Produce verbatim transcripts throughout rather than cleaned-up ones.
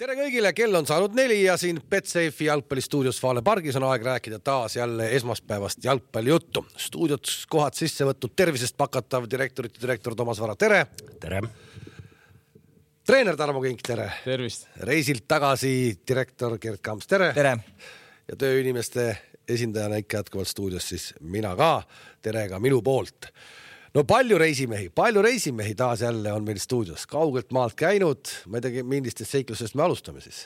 Tere kõigile, kell on saanud neli ja siin Betsafe'i jalgpallistuudios Vaale pargis on aeg rääkida taas jälle esmaspäevast jalgpallijuttu. Stuudiot kohad sisse võtnud tervisest pakatav direktorite direktor Toomas Vara, tere! Tere! Treener Tarmo Kink, tere! Tervist! Reisilt tagasi direktor Gert Kamps, tere! Tere! Ja tööinimeste esindajana ikka jätkuvalt stuudios siis mina ka, tere ka minu poolt. No palju reisimehi, palju reisimehi taas jälle on meil stuudios. Kaugelt maalt käinud, ma ei tegi millistest seiklusest me alustame siis.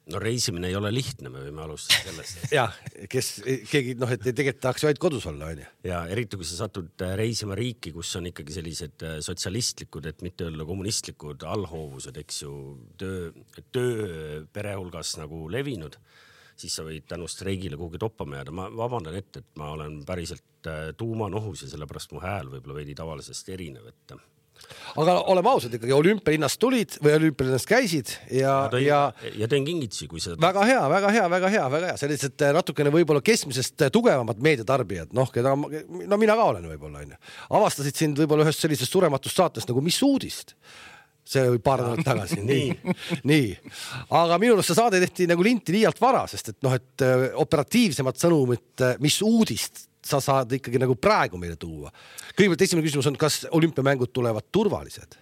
No reisimine ei ole lihtne, me võime alustada sellest. Ja, kes, keegi, noh, et tegelikult tahaks ju ainult kodus olla, on ju. Ja eriti, kui sa satud reisima riiki, kus on ikkagi sellised sotsialistlikud, et mitte öelda kommunistlikud allhoovused, eks ju, töö, töö pere hulgas nagu levinud, siis sa võid tänu streigile kuhugi toppama jääda. Ma vabandan ette, et ma olen päriselt tuumanohus ja sellepärast mu hääl võib-olla veidi tavalisest erinev. Et... Aga oleme ausad ikkagi, olümpialinnast tulid või olümpialinnast käisid ja... Ja, tõin, ja... ja teen kingitsi, kui seda... Väga hea, väga hea, väga hea, väga hea. Sellised natukene võib-olla keskmisest tugevamad meediatarbijad, noh, keda, no mina ka olen võib-olla, on ju. Avastasid sind võib-olla ühest sellisest surematust saatest nagu Mis uudist? See oli paar nädalat tagasi. nii. nii. Aga minu arust see saade tehti nagu linti liialt vara, sest et, noh, et operatiivsemad sõnumid, mis uudist sa saad ikkagi nagu praegu meile tuua. Kõigepealt esimene küsimus on, kas olümpiamängud tulevad turvalised?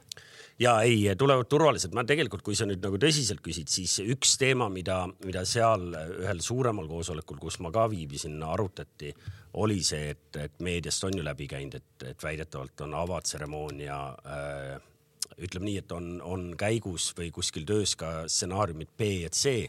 Ja ei, tulevad turvalised. Ma tegelikult, kui sa nüüd nagu tõsiselt küsid, siis üks teema, mida, mida seal ühel suuremal koosolekul, kus ma ka viibisin, arutati, oli see, et, et meediast on ju läbi käinud, et, et väidetavalt on avatseremoonia äh, ütleme nii, et on, on käigus või kuskil töös ka stsenaariumid B ja C,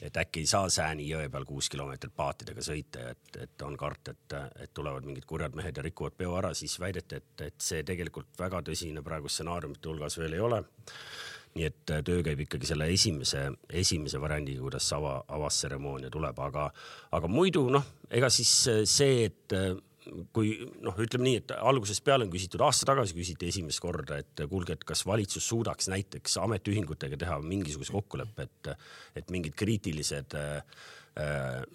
et äkki ei saa Sääni jõe peal kuus kilomeetrit paatidega sõita, et, et on kart, et, et tulevad mingid kurjad mehed ja rikuvad peo ära, siis väideti, et, et see tegelikult väga tõsine praegu stsenaariumite hulgas veel ei ole. Nii et töö käib ikkagi selle esimese, esimese variandi, kuidas ava, avastseremoonia tuleb, aga, aga muidu, noh, ega siis see, et kui, noh, ütleme nii, et algusest peale on küsitud, aasta tagasi küsiti esimest korda, et kuulge, et kas valitsus suudaks näiteks ametiühingutega teha mingisuguse kokkuleppe, et, et mingid kriitilised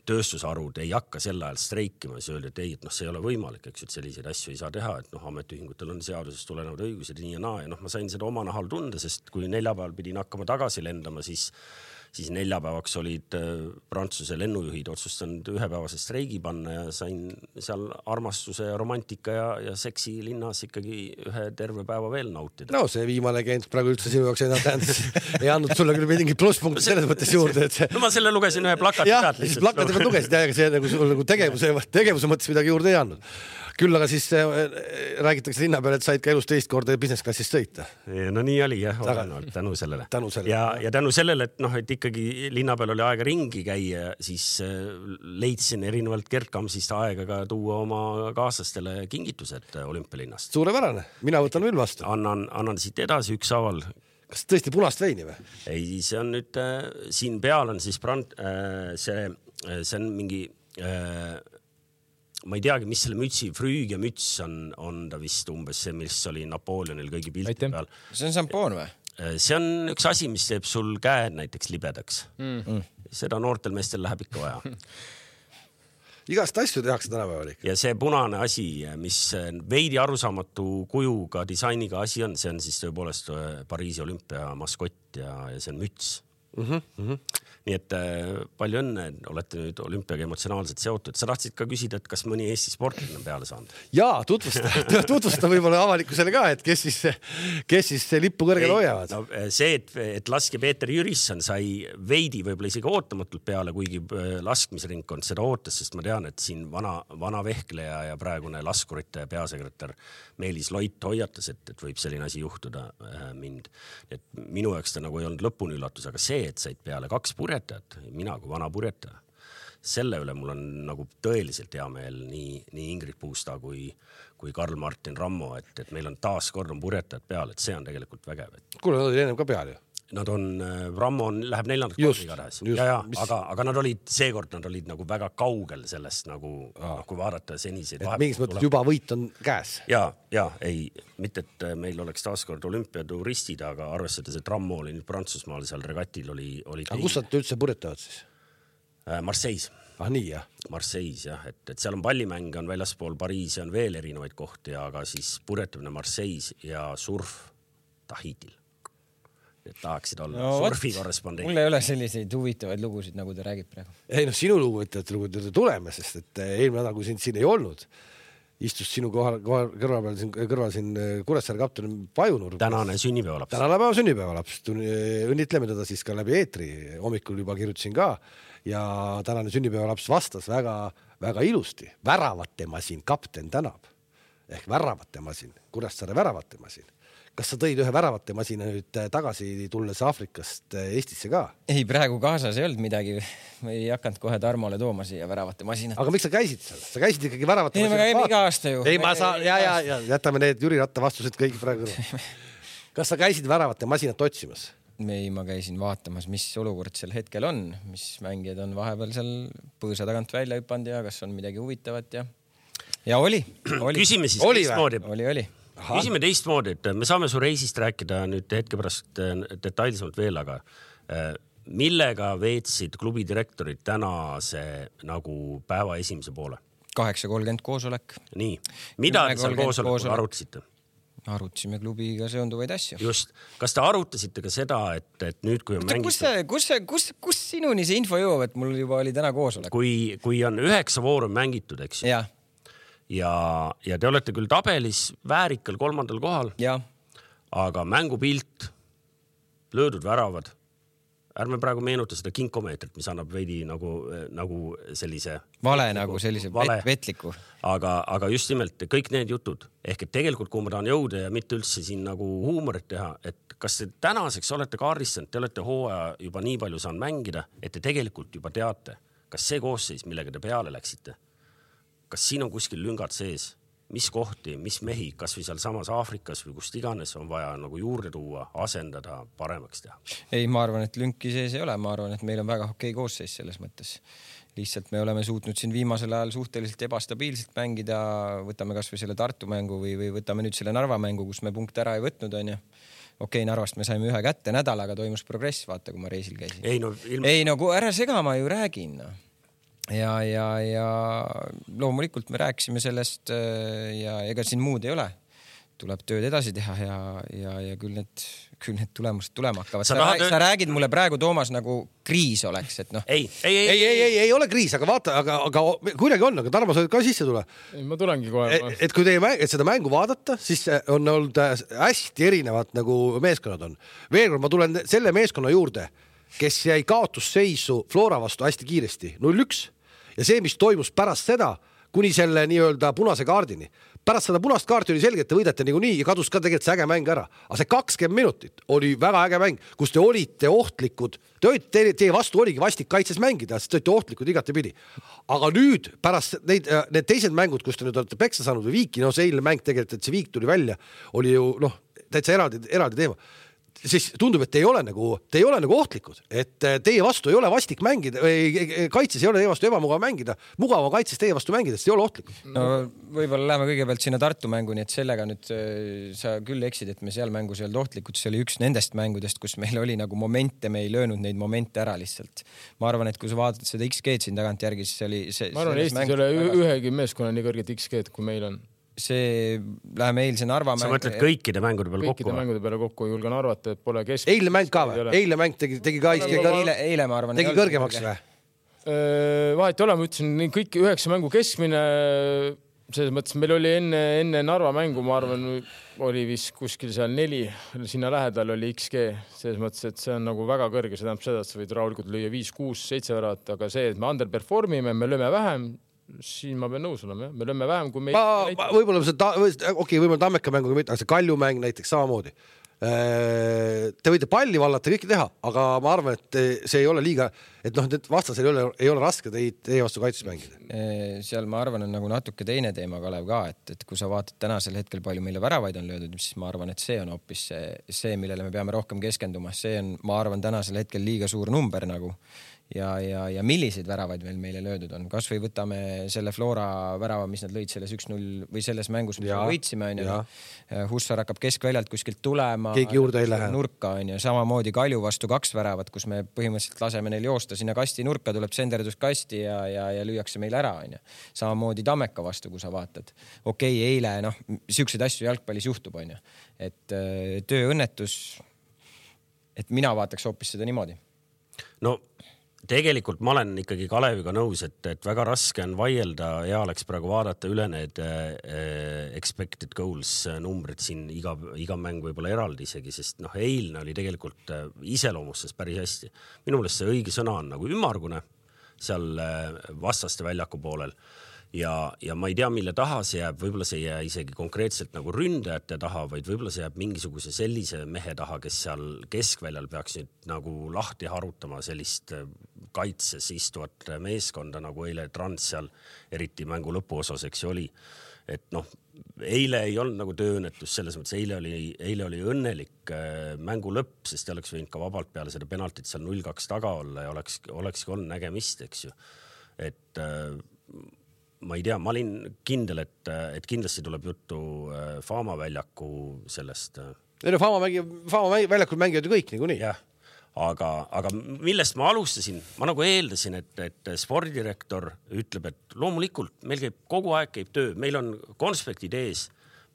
tööstusarud ei hakka sel ajal streikima, siis öeldi, et ei, et noh, see ei ole võimalik, eks, et selliseid asju ei saa teha, et noh, ametiühingutel on seadusest tulenevad õigused nii ja naa ja noh, ma sain seda oma nahal tunda, sest kui neljapäeval pidin hakkama tagasi lendama, siis siis neljapäevaks olid Prantsuse lennujuhid otsustanud ühepäevase streigi panna ja sain seal armastuse ja romantika ja, ja seksi linnas ikkagi ühe terve päeva veel nautida. No see viimane käinud praegu üldse sinu jaoks ei, tähendas, ei andnud sulle küll mingi plusspunkt selles mõttes juurde. Et see... No ma selle lugesin ühe plakati pealt. Jah, siis plakati pealt lugesid ja see nagu, nagu tegevuse, tegevuse mõttes midagi juurde ei andnud. Küll aga siis räägitakse linna peale, et said ka elus teist korda business-klassist sõita. No nii oli jah, olenevalt tänu sellele. Tänu sellele. Ja, ja tänu sellele, et noh, et ikkagi linna peal oli aega ringi käia, siis leidsin erinevalt Gert Kamsist aega ka tuua oma kaaslastele kingitused olümpialinnast. Suurepärane, mina võtan veel vastu. Annan, annan siit edasi üks aval. Kas tõesti punast veini või? Ei, see on nüüd, äh, siin peal on siis brand, äh, see, see on mingi... Äh, ma ei teagi, mis selle mütsi, früüg ja müts on, on ta vist umbes see, mis oli Napoleonil kõigi pilti peal. See on sampoon või? See on üks asi, mis teeb sul käed näiteks libedaks. Mm. Seda noortel meestel läheb ikka vaja. Igast asju tehakse tänapäeval ikka. Ja see punane asi, mis veidi arusaamatu kujuga, disainiga asi on, see on siis tõepoolest Pariisi olümpia maskott ja, ja see on müts. Mm-hmm, mm-hmm. Nii et äh, palju õnne, olete nüüd olümpiaga emotsionaalselt seotud. Sa tahtsid ka küsida, et kas mõni Eesti sportlane on peale saanud? Jaa, tutvusta, tutvusta võib-olla avalikkusele ka, et kes siis, kes siis lippu kõrgel hoiavad. No, see, et, et laske Peeter Jürisson sai veidi võib-olla isegi ootamatult peale, kuigi laskmisringkond seda ootas, sest ma tean, et siin vana, vana vehkleja ja praegune laskurite peasekretär Meelis Loit hoiatas, et, et võib selline asi juhtuda äh, mind. Et minu jaoks ta nagu ei olnud lõpuni üllatus, aga see, et said peale kaks purjetajat, mina kui vana purjetaja, selle üle mul on nagu tõeliselt hea meel nii, nii Ingrid Puusta kui, kui Karl-Martin Rammo, et, et meil on taas kord on purjetajad peal, et see on tegelikult vägev. Kuule, nad oli ennem ka peal ju. Nad on, Rammo on, läheb neljandat korda igatahes. Ja, ja, mis... aga, aga nad olid, seekord nad olid nagu väga kaugel sellest nagu, no, kui vaadata seniseid. Mingis mõttes juba võit on käes. Ja, ja, ei, mitte, et meil oleks taaskord olümpiaturistid, aga arvestades, et Rammo oli nüüd Prantsusmaal seal regatil oli... oli aga kus nad üldse purjetavad siis? Marseilles. Ah, nii, jah. Marseilles, jah, et, et seal on pallimänge, on väljaspool Pariisi, on veel erinevaid kohti, aga siis purjetamine Marseilles ja surf Tahitil. et tahaksid olla no, surfikorrespondent. Mul ei ole selliseid huvitavaid lugusid, nagu ta räägib praegu. Ei noh, sinu luguvitajate lugud tuleme, sest et eelmine nädal, kui sind siin ei olnud, istus sinu kohal, kohal kõrval peal siin, kõrval siin Kuressaare kapten Pajunur. Tänane sünnipäevalaps. Tänane päeva sünnipäevalaps. Õnnitleme teda siis ka läbi eetri. Hommikul juba kirjutasin ka ja tänane sünnipäevalaps vastas väga, väga ilusti. Väravate masin kapten tänab. Ehk väravate masin. Kuressaare väravate masin. Kas sa tõid ühe väravate masina nüüd tagasi tulles Aafrikast Eestisse ka? Ei, praegu kaasas ei olnud midagi. Ma ei hakanud kohe Tarmole tooma siia väravate masinat. Aga miks sa käisid seal? Sa käisid ikkagi väravate ei, masinat? Ei, me käime iga aasta ju. Ei, ma saan, ja, ja, ja jätame need Jüri Ratta vastused kõik praegu. Kas sa käisid väravate masinat otsimas? Ei, ma käisin vaatamas, mis olukord seal hetkel on, mis mängijad on vahepeal seal põõsa tagant välja hüpanud ja kas on midagi huvitavat ja, ja oli, oli. Küsime siis oli, teistmoodi. Oli, oli. Aha. Küsime teistmoodi, et me saame su reisist rääkida nüüd hetke pärast detailsemalt veel, aga millega veetsid klubi direktorid tänase nagu päeva esimese poole? kaheksa kolmkümmend koosolek. Nii. Mida te seal koosolekul arutasite? Arutasime klubiga seonduvaid asju. Just. Kas te arutasite ka seda, et, et nüüd, kui on mängitud... Kus, kus, kus, kus sinuni see info jõuab, et mul juba oli täna koosolek? Kui, kui on üheksa vooru mängitud, eks ju? Jah. Ja, ja te olete küll tabelis väärikal kolmandal kohal, ja. Aga mängupilt, löödud väravad, ärme praegu meenuta seda kinkomeetrit, mis annab veidi nagu, nagu sellise... Vale nagu sellise vale. Vetliku. Aga, aga just nimelt kõik need jutud, ehk et tegelikult kui ma tahan jõuda ja mitte üldse siin nagu huumorit teha, et kas te tänaseks olete kaardistanud, te olete hooaja juba nii palju saanud mängida, et te tegelikult juba teate, kas see koosseis, millega te peale läksite, kas siin on kuskil lüngad sees, mis kohti, mis mehi, kas või seal samas Aafrikas või kust iganes on vaja nagu juurde tuua, asendada, paremaks teha? Ei, ma arvan, et lünki sees ei ole. Ma arvan, et meil on väga okei koosseis selles mõttes. Lihtsalt me oleme suutnud siin viimasel ajal suhteliselt ebastabiilselt mängida. Võtame kas või selle Tartu mängu või, või võtame nüüd selle Narva mängu, kus me punkte ära ei võtnud, on ju. Okei, Narvast me saime ühe kätte nädalaga, toimus progress, vaata, kui ma reisil käisin. Ei, no, ilma... ei, no ära sega, ma ju räägin, no. Ja, ja, ja loomulikult me rääkisime sellest ja ega siin muud ei ole. Tuleb tööd edasi teha ja, ja, ja küll need, küll need tulemused tulema hakkavad. Sa, sa, tahad... sa räägid mulle praegu, Toomas, nagu kriis oleks, et noh. Ei, ei, ei, ei, ei, ei, ei ole kriis, aga vaata, aga, aga kuidagi on, aga Tarmo, sa ka sisse tule. Ei, ma tulengi kohe. Et, et kui teie mäng, et seda mängu vaadata, siis on olnud hästi erinevad nagu meeskonnad on. Veel kord ma tulen selle meeskonna juurde, kes jäi kaotusseisu Flora vastu hästi kiiresti, null üks. Ja see, mis toimus pärast seda, kuni selle nii-öelda punase kaardini. Pärast seda punast kaarti oli selge, et te võidate niikuinii ja kadus ka tegelikult see äge mäng ära. Aga see kakskümmend minutit oli väga äge mäng, kus te olite ohtlikud. Te olite, teie vastu oligi vastik kaitses mängida, sest te olite ohtlikud igati pidi. Aga nüüd pärast neid, need teised mängud, kus te nüüd olete peksa saanud või viiki, no see eilne mäng tegelikult, et see viik tuli välja, oli ju noh, täitsa eraldi, eraldi teema. Siis tundub, et te ei ole nagu, te ei ole nagu ohtlikud, et teie vastu ei ole vastik mängida, kaitses ei ole teie vastu ebamugav mängida, mugava kaitses teie vastu mängida, sest ei ole ohtlikud. No võib-olla läheme kõigepealt sinna Tartu mängu, nii et sellega nüüd sa küll eksid, et me seal mängus ei olnud ohtlikud, see oli üks nendest mängudest, kus meil oli nagu momente, me ei löönud neid momente ära lihtsalt. Ma arvan, et kui sa vaatad seda X G-d siin tagant järgi, siis oli see... Ma arvan, Eestis ei ole ühegi meeskonna nii kõrget X G-d, kui meil on. See läheme eilse Narva mäng. Sa mõtled kõikide mängude peale kokku? Kõikide mängude peale kokku julgen arvata, et pole kesk... Eile mäng ka või? Eile mäng tegi, tegi ka eile, eile, eile, ma arvan, tegi kõrgemaks või? Vahet ole, ma ütlesin, kõik üheksa mängu keskmine, selles mõttes meil oli enne, enne Narva mängu, ma arvan, oli vist kuskil seal neli, sinna lähedal oli X G, selles mõttes, et see on nagu väga kõrge, see tähendab seda, et sa võid rahulikult lüüa viis, kuus, seitse väravat, aga see, et me underperformime, me lööme vähem, siin ma pean nõus olema, me lööme vähem kui me... Ma, ma, võib-olla see, ta, okei, okay, võib-olla Tammeka mänguga mitte, aga see Kalju mäng näiteks samamoodi. Te võite palli vallata kõike teha, aga ma arvan, et see ei ole liiga, et noh, et vastasel ei ole, ei ole raske teid teie vastu kaitses mängida. Seal ma arvan, on nagu natuke teine teema, Kalev, ka, et, et kui sa vaatad tänasel hetkel palju meile väravaid on löödud, siis ma arvan, et see on hoopis see, see, millele me peame rohkem keskenduma. See on, ma arvan, tänasel hetkel liiga suur number nagu. Ja, ja, ja milliseid väravaid veel meile löödud on. Kas või võtame selle Flora värava, mis nad lõid selles üks null või selles mängus, mis me võitsime. Hussar hakkab keskväljalt kuskilt tulema. Keegi juurde ei lähe. Nurka on ja samamoodi Kalju vastu kaks väravat, kus me põhimõtteliselt laseme neil joosta sinna kasti nurka, tuleb senderdus kasti ja, ja, ja lüüakse meil ära. On ja. Samamoodi Tammeka vastu, kui sa vaatad. Okei, eile, noh, siukseid asju jalgpallis juhtub. On ja. Et tööõnnetus... et mina vaataks hoopis seda niimoodi. No tegelikult ma olen ikkagi Kaleviga nõus, et, et väga raske on vaielda ja oleks praegu vaadata üle need äh, expected goals numbrid siin iga, iga mäng võib-olla eraldi isegi, sest noh, eilne oli tegelikult äh, iseloomustas päris hästi. Minu meelest see õige sõna on nagu ümmargune seal äh, vastaste väljaku poolel. Ja, ja ma ei tea, mille taha see jääb, võib-olla see jää isegi konkreetselt nagu ründajate taha, vaid võib-olla see jääb mingisuguse sellise mehe taha, kes seal keskväljal peaks nüüd nagu lahti harutama sellist kaitses istuvat meeskonda, nagu eile Trans seal eriti mängu lõpuosas, eks oli. Et noh, eile ei olnud nagu tööõnnetus selles mõttes, eile oli, eile oli õnnelik mängu lõpp, sest oleks võinud ka vabalt peale seda penaltit seal null kaks taga olla ja oleks, olekski olnud nägemist, eks ju. Et ma ei tea, ma olin kindel, et, et kindlasti tuleb juttu Fama väljaku sellest. Ei no Fama, mängi, Fama väljakul mängivad ju kõik niikuinii. Jah, aga, aga millest ma alustasin, ma nagu eeldasin, et, et spordidirektor ütleb, et loomulikult meil käib kogu aeg käib töö, meil on konspektid ees,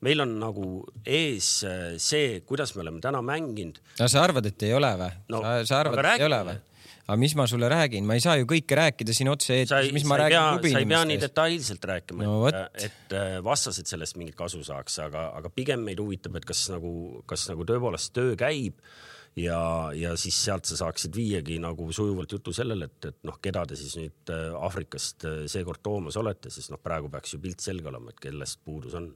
meil on nagu ees see, kuidas me oleme täna mänginud. No sa arvad, et ei ole või? No, sa, sa arvad, et ei ole või? Aga mis ma sulle räägin? Ma ei saa ju kõike rääkida siin otse, et mis ma räägin klubi inimestes. Sa ei pea nii detailselt rääkima, no, et, et vastased sellest mingit kasu saaks, aga, aga pigem meid huvitab, et kas nagu, kas nagu tõepoolest töö käib ja, ja siis sealt sa saaksid viiagi nagu sujuvalt jutu sellele, et, et noh, keda te siis nüüd Afrikast seekord toomas olete, siis noh, praegu peaks ju pilt selge olema, et kellest puudus on.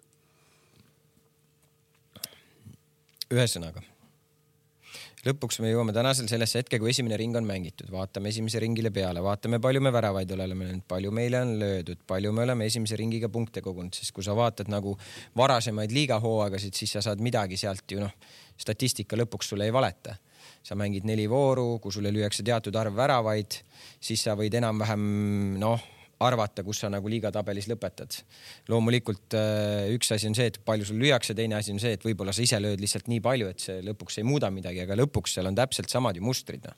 Ühesõnaga. Lõpuks me jõuame tänasel sellesse hetke, kui esimene ring on mängitud. Vaatame esimese ringile peale, vaatame palju me väravaid oleme löönud, palju meile on löödud, palju me oleme esimese ringiga punkte kogunud, sest kui sa vaatad nagu varasemaid liigahooagasid, siis sa saad midagi sealt ju noh, statistika lõpuks sulle ei valeta. Sa mängid neli vooru, kui sulle lüüakse teatud arv väravaid, siis sa võid enam-vähem noh, arvata, kus sa nagu liigatabelis lõpetad. Loomulikult üks asi on see, et palju sul lüüakse, teine asi on see, et võib-olla sa ise lööd lihtsalt nii palju, et see lõpuks ei muuda midagi, aga lõpuks seal on täpselt samad ju mustrid.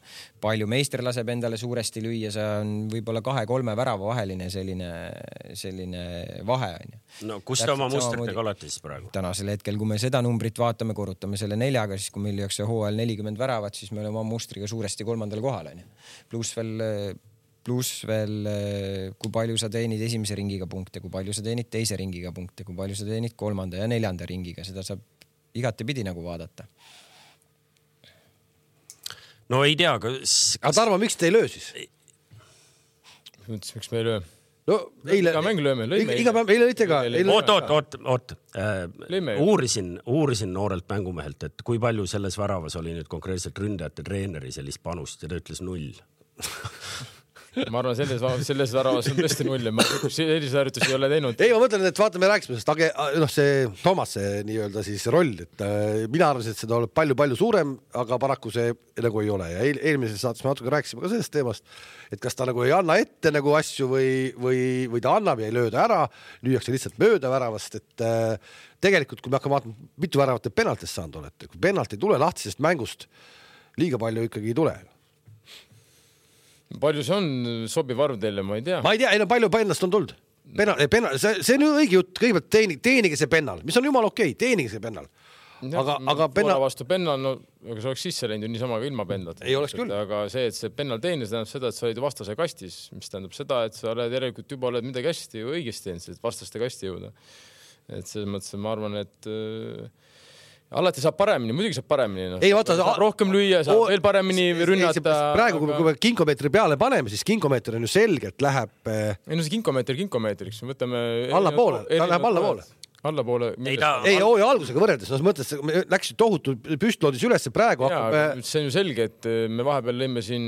Palju meister laseb endale suuresti lüüa, see on võib-olla kahe-kolme värava vaheline selline, selline vahe. No kus te oma mustritega olete siis praegu? Tänasel hetkel, kui me seda numbrit vaatame, korrutame selle neljaga, siis kui meil lüüakse hooajal nelikümmend väravat, siis me oleme oma mustriga suuresti kolmandal kohal. Pluss veel pluss veel, kui palju sa teenid esimese ringiga punkte, kui palju sa teenid teise ringiga punkte, kui palju sa teenid kolmanda ja neljanda ringiga, seda saab igatepidi nagu vaadata. No ei tea, kas... Aga Tarmo, miks te ei löö siis? Mõtles, miks me ei löö? No eile... Iga mäng lööme, lõime. Iga päev, eile lõite ka. Oot, oot, oot, oot. Äh, uurisin, uurisin noorelt mängumehelt, et kui palju selles väravas oli nüüd konkreetselt ründajate treeneri sellist panust ja ta ütles null. Ma arvan, selles, selles väravas on tõesti null ja ma sellise harjutusi ei ole teinud. Ei, ma mõtlen, et vaatame rääkisime sest age, noh, see Toomas, see nii-öelda siis roll, et äh, mina arvasin, et seda tuleb palju-palju suurem, aga paraku see nagu ei ole. Ja eel, eelmises saates me natuke rääkisime ka sellest teemast, et kas ta nagu ei anna ette nagu asju või, või, või ta annab ja ei lööda ära, lüüakse lihtsalt mööda väravast, et äh, tegelikult, kui me hakkame vaatama, mitu väravat te penaltist saanud olete, kui penalt ei tule lahtisest mängust, liiga palju ikkagi ei tule. Palju see on sobiv arv teile, ma ei tea. Ma ei tea, ei no palju pennast on tulnud. Pennal, pennal, see, see on ju õige jutt, kõigepealt teeni, teenige see pennal, mis on jumal okei, teenige see pennal. Aga, aga pennal... vastu pennal, no aga see oleks sisse läinud ju niisama ka ilma pendlat. Ei oleks küll. Aga see, et see pennal teenis, tähendab seda, et sa olid vastase kastis, mis tähendab seda, et sa oled järelikult juba oled midagi hästi või õigesti teinud, et vastaste kasti jõuda. Et selles mõttes ma arvan, et alati saab paremini, muidugi saab paremini. No. Ei, vaata, saab rohkem lüüa, saab o... veel paremini rünnata. Praegu, aga... kui me kinkomeetri peale paneme, siis kinkomeeter on ju selgelt läheb... Ei no see kinkomeeter kinkomeetriks. Võtame... Alla poole, ta läheb alla poole. Alla poole. Ei, ta... ei hooaja algusega võrreldes, no mõttes, läks tohutu püstloodis üles praegu. Jaa, hakkab... see on ju selge, et me vahepeal lõime siin,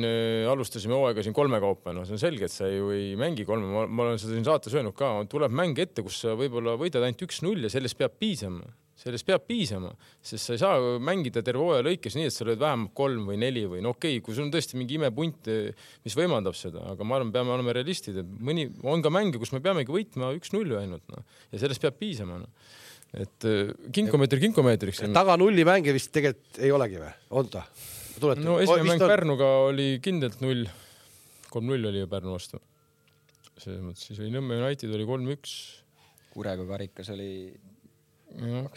alustasime hooaega siin kolme kaupa. No see on selge, et sa ju ei mängi kolme. Ma, ma olen seda siin saates öelnud ka. Tuleb mäng ette, kus sa võib-olla võidad ainult üks null ja sellest peab piisama. Sellest peab piisama, sest sa ei saa mängida terve hooaja lõikes nii, et sa lööd vähemalt kolm või neli või no okei, kui sul on tõesti mingi imepunt, mis võimaldab seda, aga ma arvan, peame olema realistid, et mõni on ka mänge, kus me peamegi võitma üks null ainult no. Ja sellest peab piisama. No. Et kinkomeetri kinkomeetriks. Taga nulli mänge vist tegelikult ei olegi või? On ta? Tulete? No esimene mäng on... Pärnuga oli kindlalt null. kolm null oli ju Pärnu vastu. Selles mõttes siis oli Nõmme United oli kolm üks. Kurega karikas oli...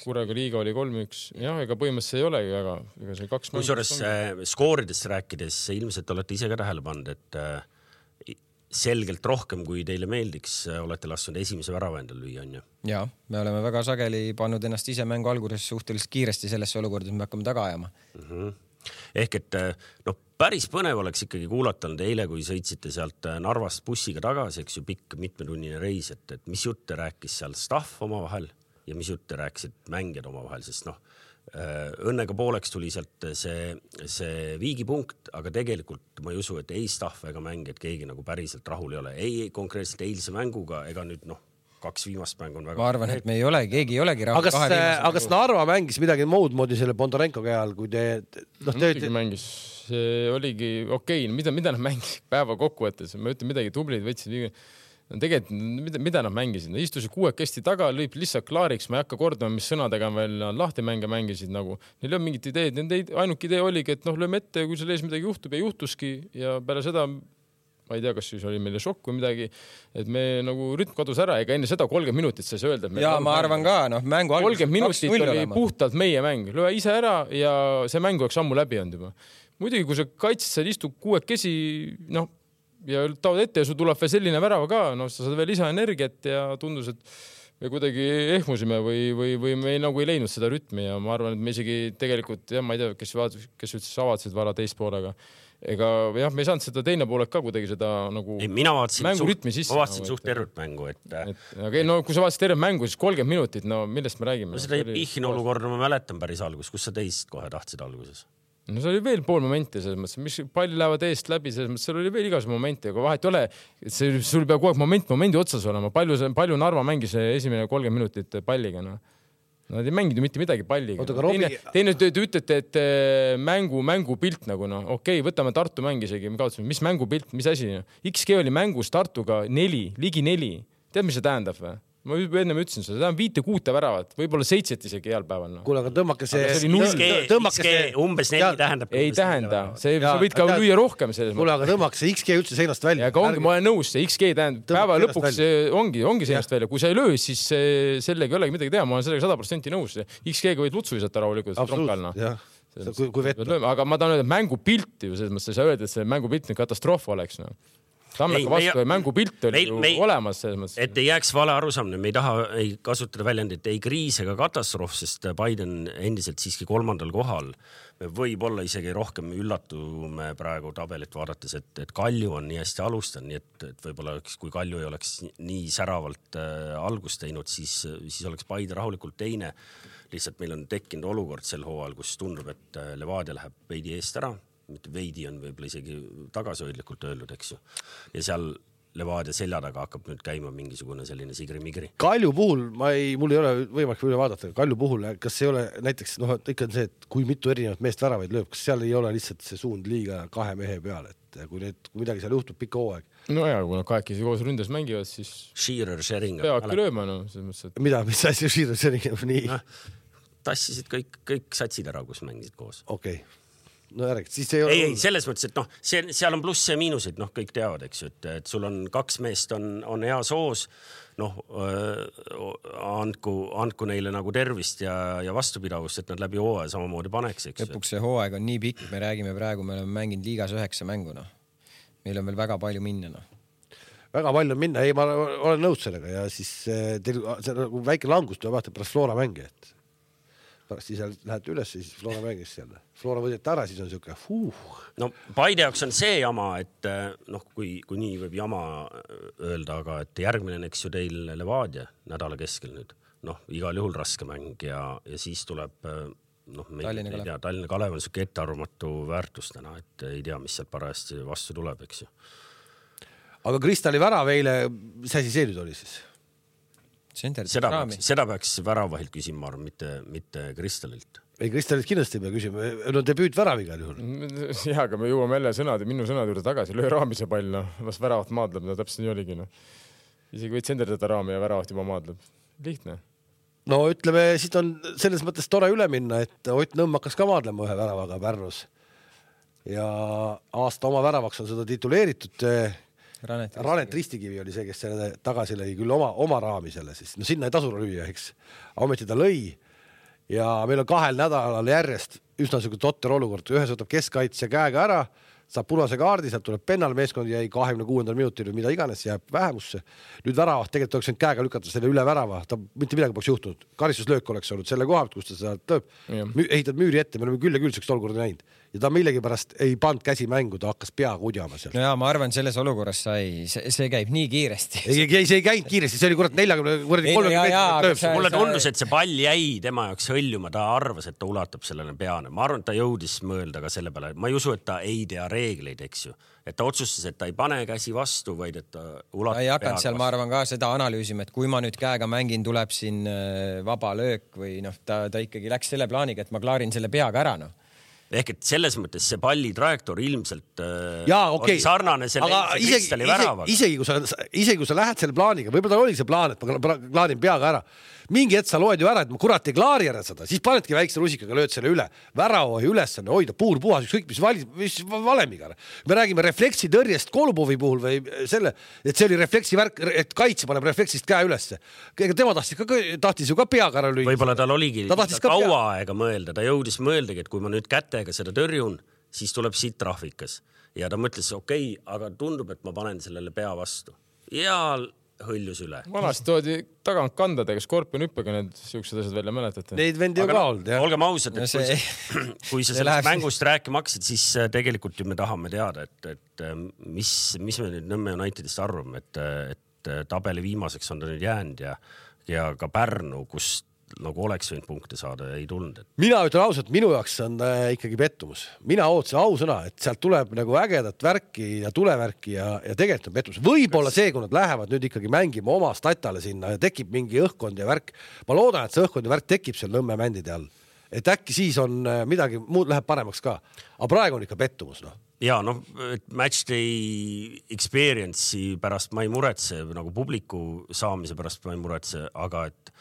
Kurega liiga oli kolm üks. Jah, ega põhimõtteliselt ei olegi, aga ega see kaks kui suures skooridest rääkides ilmselt olete ise ka tähele pannud, et selgelt rohkem kui teile meeldiks, olete lasknud esimese värava endal lüüa, on ju? Ja, me oleme väga sageli pannud ennast ise mängu alguses suhteliselt kiiresti sellesse olukorda, et me hakkame taga ajama. Mm-hmm. Ehk et no, päris põnev oleks ikkagi kuulata nüüd eile, kui sõitsite sealt Narvast bussiga tagasi, eks ju pikk mitmetunnine reis, et, et mis jutte rääkis seal staff oma vahel ja mis jutte rääkisid mängijad oma vahel, sest noh, õnnega pooleks tuli sealt see, see viigipunkt, aga tegelikult ma ei usu, et ei staff ega mängijad keegi nagu päriselt rahul ei ole. Ei konkreetselt eilse mänguga ega nüüd noh, kaks viimast mängu on väga... Ma arvan, et me ei ole, keegi ei olegi rahul. Aga kas Narva mängis midagi muud moodi selle Bondarenko käal, kui te... No, te te... mängis, see oligi okei, mida, mida nad mängis päeva kokkuvõttes, ma ütlen midagi tublid, võtsid viigi... No tegelikult, mida, mida nad mängisid? No istusid kuuekesti taga, lõib lihtsalt klaariks, ma ei hakka kordama, mis sõnadega veel lahti mänge mängisid nagu. Neil on mingid ideed, nende ainuke idee oligi, et noh, lööme ette, kui seal ees midagi juhtub ja juhtuski ja peale seda, ma ei tea, kas siis oli meile šokk või midagi, et me nagu rütm kadus ära, ega enne seda kolmkümmend minutit sai öelda. Ja ma arvan ka, noh, mängu kolmkümmend minutit oli olema. Puhtalt meie mäng, löö ise ära ja see mäng oleks ammu läbi olnud juba. Muidugi, kui sa kaitsid, sa istub kuuekesi, noh, ja taod ette ja sul tuleb veel selline värava ka, no sa saad veel lisaenergiat ja tundus, et me kuidagi ehmusime või, või, või me ei, nagu ei leidnud seda rütmi ja ma arvan, et me isegi tegelikult, jah, ma ei tea, kes, kes üldse avatsisid vara teist poolega. Ega jah, me ei saanud seda teine pooled ka kuidagi seda nagu ei, mina vaatasin mängu rütmi sisse. Ma vaatasin nagu, suht tervet mängu. Et... Et, aga no kui sa vaatasid tervet mängu, siis kolmkümmend minutit, no millest me räägime? No seda Ihhin olukorda ma mäletan päris algus, kus sa teist kohe tahtsid alguses? No see oli veel pool momenti selles mõttes, mis palli lähevad eest läbi, selles mõttes seal oli veel igas momenti, aga vahet ole, et see, sul peab kogu aeg moment, momendi otsas olema. Palju, palju Narva mängis esimene kolmkümmend minutit palliga. No. Nad ei mänginud mitte midagi palliga. Oota, no. Teine, teine te, te ütlete, et mängu, mängu pilt nagu, no okei, okay, võtame Tartu mäng isegi, me kaotasime, mis mängu pilt, mis asi? X G oli mängus Tartuga neli, ligi neli. Tead, mis see tähendab või? Ma enne ütlesin seda, seda on viite kuute väravat, võib-olla seitset isegi heal päeval. No. Kuule, aga tõmmake see... X G umbes neli tähendab. Ei tähenda, see ja, võid ka tead, lüüa rohkem. Kuule, aga tõmmake see X G üldse seinast välja. Ja aga ongi, ma olen nõus, see X G tähendab, päeva lõpuks ongi, ongi seinast välja. Kui sa ei löö, siis sellega ei olegi midagi teha, ma olen sellega sada protsenti nõus. X G-ga võid lutsu visata rahulikult. Absoluut, jah. Kui, kui vett... Aga ma tahan öelda, et mängupilti ju selles mõttes, sa öelda, et see mängupilt katastroof oleks. No. Tammeka vastu ja mängupilt oli meil, ju meil, olemas selles mõttes. Et ei jääks vale arusaamine, me ei taha ei kasutada väljendit ei kriis ega katastroof, sest Biden endiselt siiski kolmandal kohal. Me võib olla isegi rohkem üllatume praegu tabelit vaadates, et, et Kalju on nii hästi alustanud, nii et, et võib-olla kui Kalju ei oleks nii säravalt äh, algust teinud, siis, siis oleks Biden rahulikult teine. Lihtsalt meil on tekkinud olukord sel hooajal, kus tundub, et Levadia läheb veidi eest ära. Mitte veidi on võib-olla isegi tagasihoidlikult öelnud, eks ju. Ja seal Levadia selja taga hakkab nüüd käima mingisugune selline sigri-migri. Kalju puhul, ma ei, mul ei ole võimalik üle vaadata, Kalju puhul, kas ei ole näiteks, noh, ikka on see, et kui mitu erinevat meest väravaid lööb, kas seal ei ole lihtsalt see suund liiga kahe mehe peale, et kui, need, kui midagi seal juhtub pikka hooaeg. No ja, kui nad kahekesi koos ründes mängivad, siis Shearer, Sheringa. Peavadki lööma, no. Mõttes, et... Mida, mis asi Shearer, Sheringa? Nii. No, tassisid kõik, kõik satsid ära, kus mängisid koos. Okei. Okay. No järg, siis ei, ei, ei, selles mõttes, et noh, see, seal on pluss ja miinusid, noh, kõik teavad, eks ju, et, et sul on kaks meest on, on hea soos, noh, andku, andku neile nagu tervist ja, ja vastupidavust, et nad läbi hooaja samamoodi paneks, eks ju. Lõpuks see hooaeg on nii pikk, me räägime praegu, me oleme mänginud liigas üheksa mängu, noh. Meil on veel väga palju minna, noh. Väga palju on minna, ei, ma olen nõus sellega ja siis teil see nagu väike langus tuleb vaata pärast Flora mänge, et pärast siis lähete üles ja siis Flora mängis seal. Flora võideti ära, siis on siuke fuh. No Paide jaoks on see jama, et noh, kui, kui nii võib jama öelda, aga et järgmine eks ju teil Levadia nädala keskel nüüd. Noh, igal juhul raske mäng ja, ja siis tuleb noh, me Tallinna ei tea, Tallinna Kalev on siuke ettearvamatu väärtus täna, et ei tea, mis seal parajasti vastu tuleb, eks ju. Aga Kristali värav eile, mis asi see nüüd oli siis? Seda peaks, seda peaks väravahilt küsima, mitte, mitte Kristalilt. Ei, Kristalilt kindlasti ei pea küsima. No debüüt värav igal juhul. Jah, aga me jõuame jälle sõnade, minu sõnade juurde tagasi. Löö raamise pall, no. Las väravat maadleb, no täpselt nii oligi. No. Isegi võid senderdada raami ja väravat juba maadleb. Lihtne. No ütleme, siit on selles mõttes tore üle minna, et Ott Nõmm hakkas ka maadlema ühe väravaga Pärnus. Ja aasta oma väravaks on seda tituleeritud. Ranet, Ranet Ristikivi oli see, kes selle tagasi lõi küll oma, oma raami selle siis. No sinna ei tasu lüüa, eks. Ometi ta lõi ja meil on kahel nädalal järjest üsna selline totter olukord. Ühes võtab keskkaitsja käega ära, saab punase kaardi, sealt tuleb pennal, meeskond jäi kahekümne kuuendal minutil või mida iganes, jääb vähemusse. Nüüd värava, tegelikult oleks käega lükata selle üle värava, ta mitte midagi poleks juhtunud. Karistuslöök oleks olnud selle koha, kus ta seda tõeb. Ehitad müüri ette, me oleme küll ja küll selleks olukorda näinud. Ja ta millegi pärast ei pand käsi mängu, ta hakkas pea kudjama seal. No jaa, ma arvan, selles olukorras sai, see, see käib nii kiiresti. Ei, ei, see ei käinud kiiresti, see oli kurat neljakümne, kolmekümne meetrit. Mulle tundus, et see pall jäi tema jaoks hõljuma, ta arvas, et ta ulatab sellele peane. Ma arvan, et ta jõudis mõelda ka selle peale. Ma ei usu, et ta ei tea reegleid, eks ju. Et ta otsustas, et ta ei pane käsi vastu, vaid et ta ulatab ta ei hakanud seal, ma arvan ka seda analüüsima, et kui ma nüüd käega mängin, tuleb siin vaba löök või noh, ta, ta ikkagi läks selle plaaniga, et ma klaarin selle peaga ära, noh. Ehk et selles mõttes see palli trajektoor ilmselt Jaa, okay. oli sarnane selle Kristali väravaga. Isegi kui sa, isegi kui sa lähed selle plaaniga, võib-olla ta oli see plaan, et ma klaarin peaga ära. Mingi hetk sa loed ju ära, et ma kurat ei klaari ära seda, siis panedki väikse rusikaga, lööd selle üle. Värava ülesanne hoida puur puhas, ükskõik mis, vali, mis valemiga. Me räägime refleksi tõrjest Kolubovi puhul või selle, et see oli refleksi värk, et kaitse paneb refleksist käe ülesse. Tema tahtis, ka, tahtis ju ka peaga ära lüüa. Võib-olla tal oligi ta ta kaua aega mõelda, ta jõudis mõeldagi, et kui ma nüüd kätega seda tõrjun, siis tuleb siit trahvikas. Ja ta mõtles, okei, okay, aga tundub, et ma panen sellele pea vastu. Ja hõljus üle. Vanasti toodi tagant kandadega, skorpion hüppega need siuksed asjad välja mäletate. Neid vendi ju ka olnud, jah. Olgem ausad, et no see, kui, sa, kui sa sellest mängust rääkima hakkasid, siis tegelikult ju me tahame teada, et, et mis, mis me nüüd Nõmme Unitedist arvame, et, et tabeli viimaseks on ta nüüd jäänud ja, ja ka Pärnu, kus nagu oleks võinud punkte saada, ei tulnud. Et... Mina ütlen ausalt, minu jaoks on äh, ikkagi pettumus. Mina ootasin ausõna, et sealt tuleb nagu ägedat värki ja tulevärki ja, ja tegelikult on pettumus. Võib-olla see, kui nad lähevad nüüd ikkagi mängima oma statale sinna ja tekib mingi õhkkond ja värk. Ma loodan, et see õhkkond ja värk tekib seal Nõmme mändide all. Et äkki siis on midagi muud läheb paremaks ka. Aga praegu on ikka pettumus, noh. Ja noh, matchday experience'i pärast ma ei muretse, nagu publiku saamise pärast ma ei muretse, aga et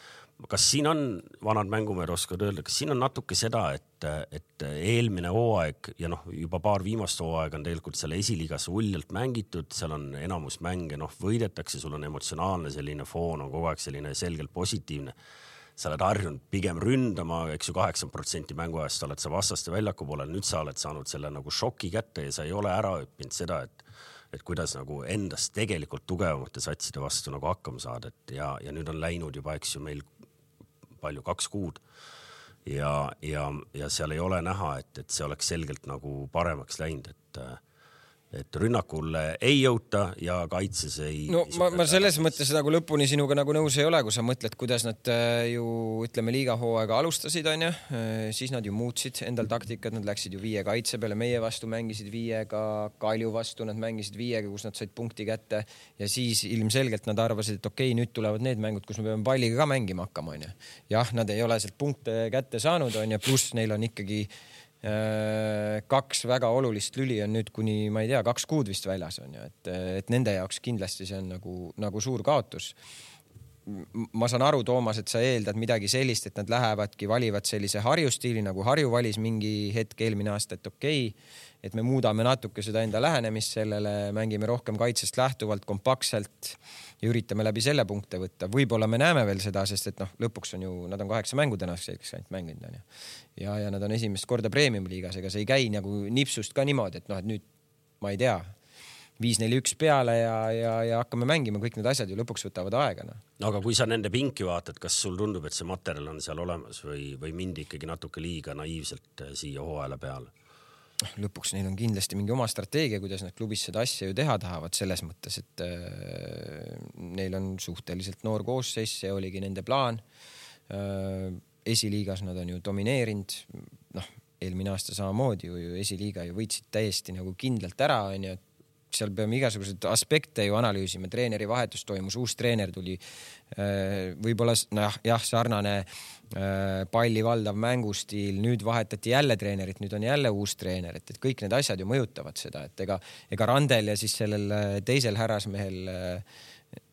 kas siin on, vanad mängumehed oskavad öelda, kas siin on natuke seda, et, et eelmine hooaeg ja noh, juba paar viimast hooaeg on tegelikult selle esiliigas uljalt mängitud, seal on enamus mänge, noh, võidetakse, sul on emotsionaalne selline foon, on kogu aeg selline selgelt positiivne. Sa oled harjunud pigem ründama, eks ju kaheksakümmend protsenti mänguajast oled sa vastaste väljaku poolel, nüüd sa oled saanud selle nagu šoki kätte ja sa ei ole ära õppinud seda, et et kuidas nagu endast tegelikult tugevamate satside vastu nagu hakkama saada, et ja, ja nüüd on läinud juba, eks ju, meil palju, kaks kuud ja, ja, ja seal ei ole näha, et, et see oleks selgelt nagu paremaks läinud, et et rünnakulle ei jõuta ja kaitses ei... No ma, ma selles mõttes nagu lõpuni sinuga nagu nõus ei ole, kui sa mõtled, kuidas nad ju, ütleme, liigahooaega alustasid, on ju, siis nad ju muutsid endal taktikat, nad läksid ju viie kaitse peale, meie vastu mängisid viiega, Kalju vastu nad mängisid viiega, kus nad said punkti kätte ja siis ilmselgelt nad arvasid, et okei, nüüd tulevad need mängud, kus me peame palliga ka mängima hakkama, on ju. Jah, nad ei ole sealt punkte kätte saanud, on ju, pluss neil on ikkagi kaks väga olulist lüli on nüüd kuni, ma ei tea, kaks kuud vist väljas on ju, et, et nende jaoks kindlasti see on nagu, nagu suur kaotus. Ma saan aru, Toomas, et sa eeldad midagi sellist, et nad lähevadki, valivad sellise Harju stiili, nagu Harju valis mingi hetk eelmine aasta, et okei, et me muudame natuke seda enda lähenemist sellele, mängime rohkem kaitsest lähtuvalt, kompaktselt ja üritame läbi selle punkte võtta. Võib-olla me näeme veel seda, sest et noh, lõpuks on ju, nad on kaheksa mängu tänaseks ainult mänginud, on ju. Ja, ja nad on esimest korda premium liigas, ega see ei käi nagu nipsust ka niimoodi, et noh, et nüüd, ma ei tea, viis neli üks peale ja, ja, ja hakkame mängima, kõik need asjad ju lõpuks võtavad aega. No. Aga kui sa nende pinki vaatad, kas sul tundub, et see materjal on seal olemas või, või mindi ikkagi natuke liiga naiivselt siia hooajale peale? Lõpuks neil on kindlasti mingi oma strateegia, kuidas nad klubis seda asja ju teha tahavad selles mõttes, et äh, neil on suhteliselt noor koosseis, see oligi nende plaan. Äh, esiliigas nad on ju domineerinud, noh, eelmine aasta samamoodi ju, ju esiliiga ju võitsid täiesti nagu kindlalt ära, on ju, seal peame igasugused aspekte ju analüüsima, treeneri vahetus toimus, uus treener tuli, võib-olla noh, jah, sarnane palli valdav mängustiil, nüüd vahetati jälle treenerit, nüüd on jälle uus treener, et, et kõik need asjad ju mõjutavad seda, et ega, ega Randel ja siis sellel teisel härrasmehel,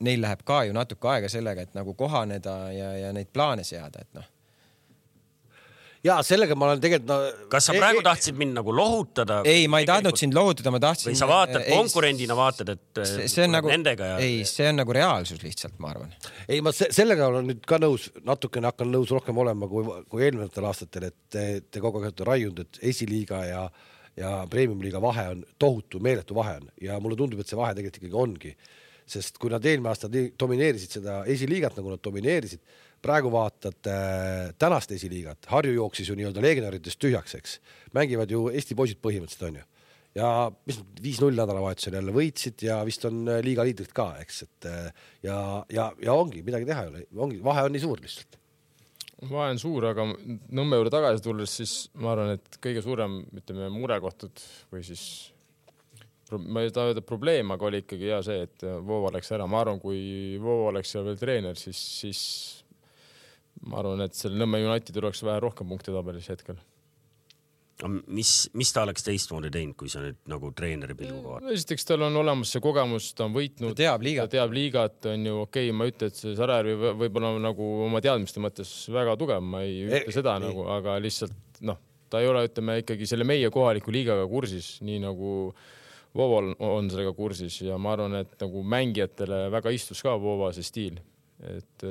neil läheb ka ju natuke aega sellega, et nagu kohaneda ja, ja neid plaane seada, et noh. ja sellega ma olen tegelikult no, kas sa praegu ei, tahtsid mind nagu lohutada? Ei, ma ei tahtnud sind lohutada, ma tahtsin... Või sa vaatad ei, konkurendina, vaatad, et see, see on nagu, nendega ja... Ei, see on nagu reaalsus lihtsalt, ma arvan. Ei, ma sellega olen nüüd ka nõus, natukene hakkan nõus rohkem olema kui, kui eelminetel aastatel, et te, te kogu aeg olete raiunud, et esiliiga ja, ja premium-liiga vahe on tohutu, meeletu vahe on. Ja mulle tundub, et see vahe tegelikult ikkagi ongi. Sest kui nad eelmine aasta domineerisid seda esiliigat, nagu nad domineerisid, praegu vaatad äh, tänast esiliigat, Harju jooksis ju nii-öelda legionäridest tühjaks, eks. Mängivad ju Eesti poisid põhimõtteliselt on ju. Ja mis viis null nädalavahetusel jälle võitsid ja vist on liiga liidrid ka, eks. Et, ja, ja, ja ongi, midagi teha ei ole. Ongi, vahe on nii suur lihtsalt. Vahe on suur, aga Nõmme juurde tagasi tulles, siis ma arvan, et kõige suurem ütleme, murekohtud või siis ma ei taha öelda probleem, aga oli ikkagi hea see, et Voova läks ära. Ma arvan, kui Voova oleks seal veel treener, siis, siis ma arvan, et selle Nõmme United oleks vähe rohkem punkte tabelis hetkel. Mis, mis ta oleks teistmoodi teinud, kui sa nüüd nagu treeneri pilguga vaatad? Esiteks tal on olemas see kogemus, ta on võitnud. Ta teab liigat. Ta teab liigat, on ju okei, okay, ma ütlen, et see Sarajärvi võib-olla nagu oma teadmiste mõttes väga tugev, ma ei ütle e seda e nagu, aga lihtsalt noh, ta ei ole, ütleme ikkagi selle meie kohaliku liigaga kursis, nii nagu Voova on sellega kursis ja ma arvan, et nagu mängijatele väga istus ka Voova see stiil. Et,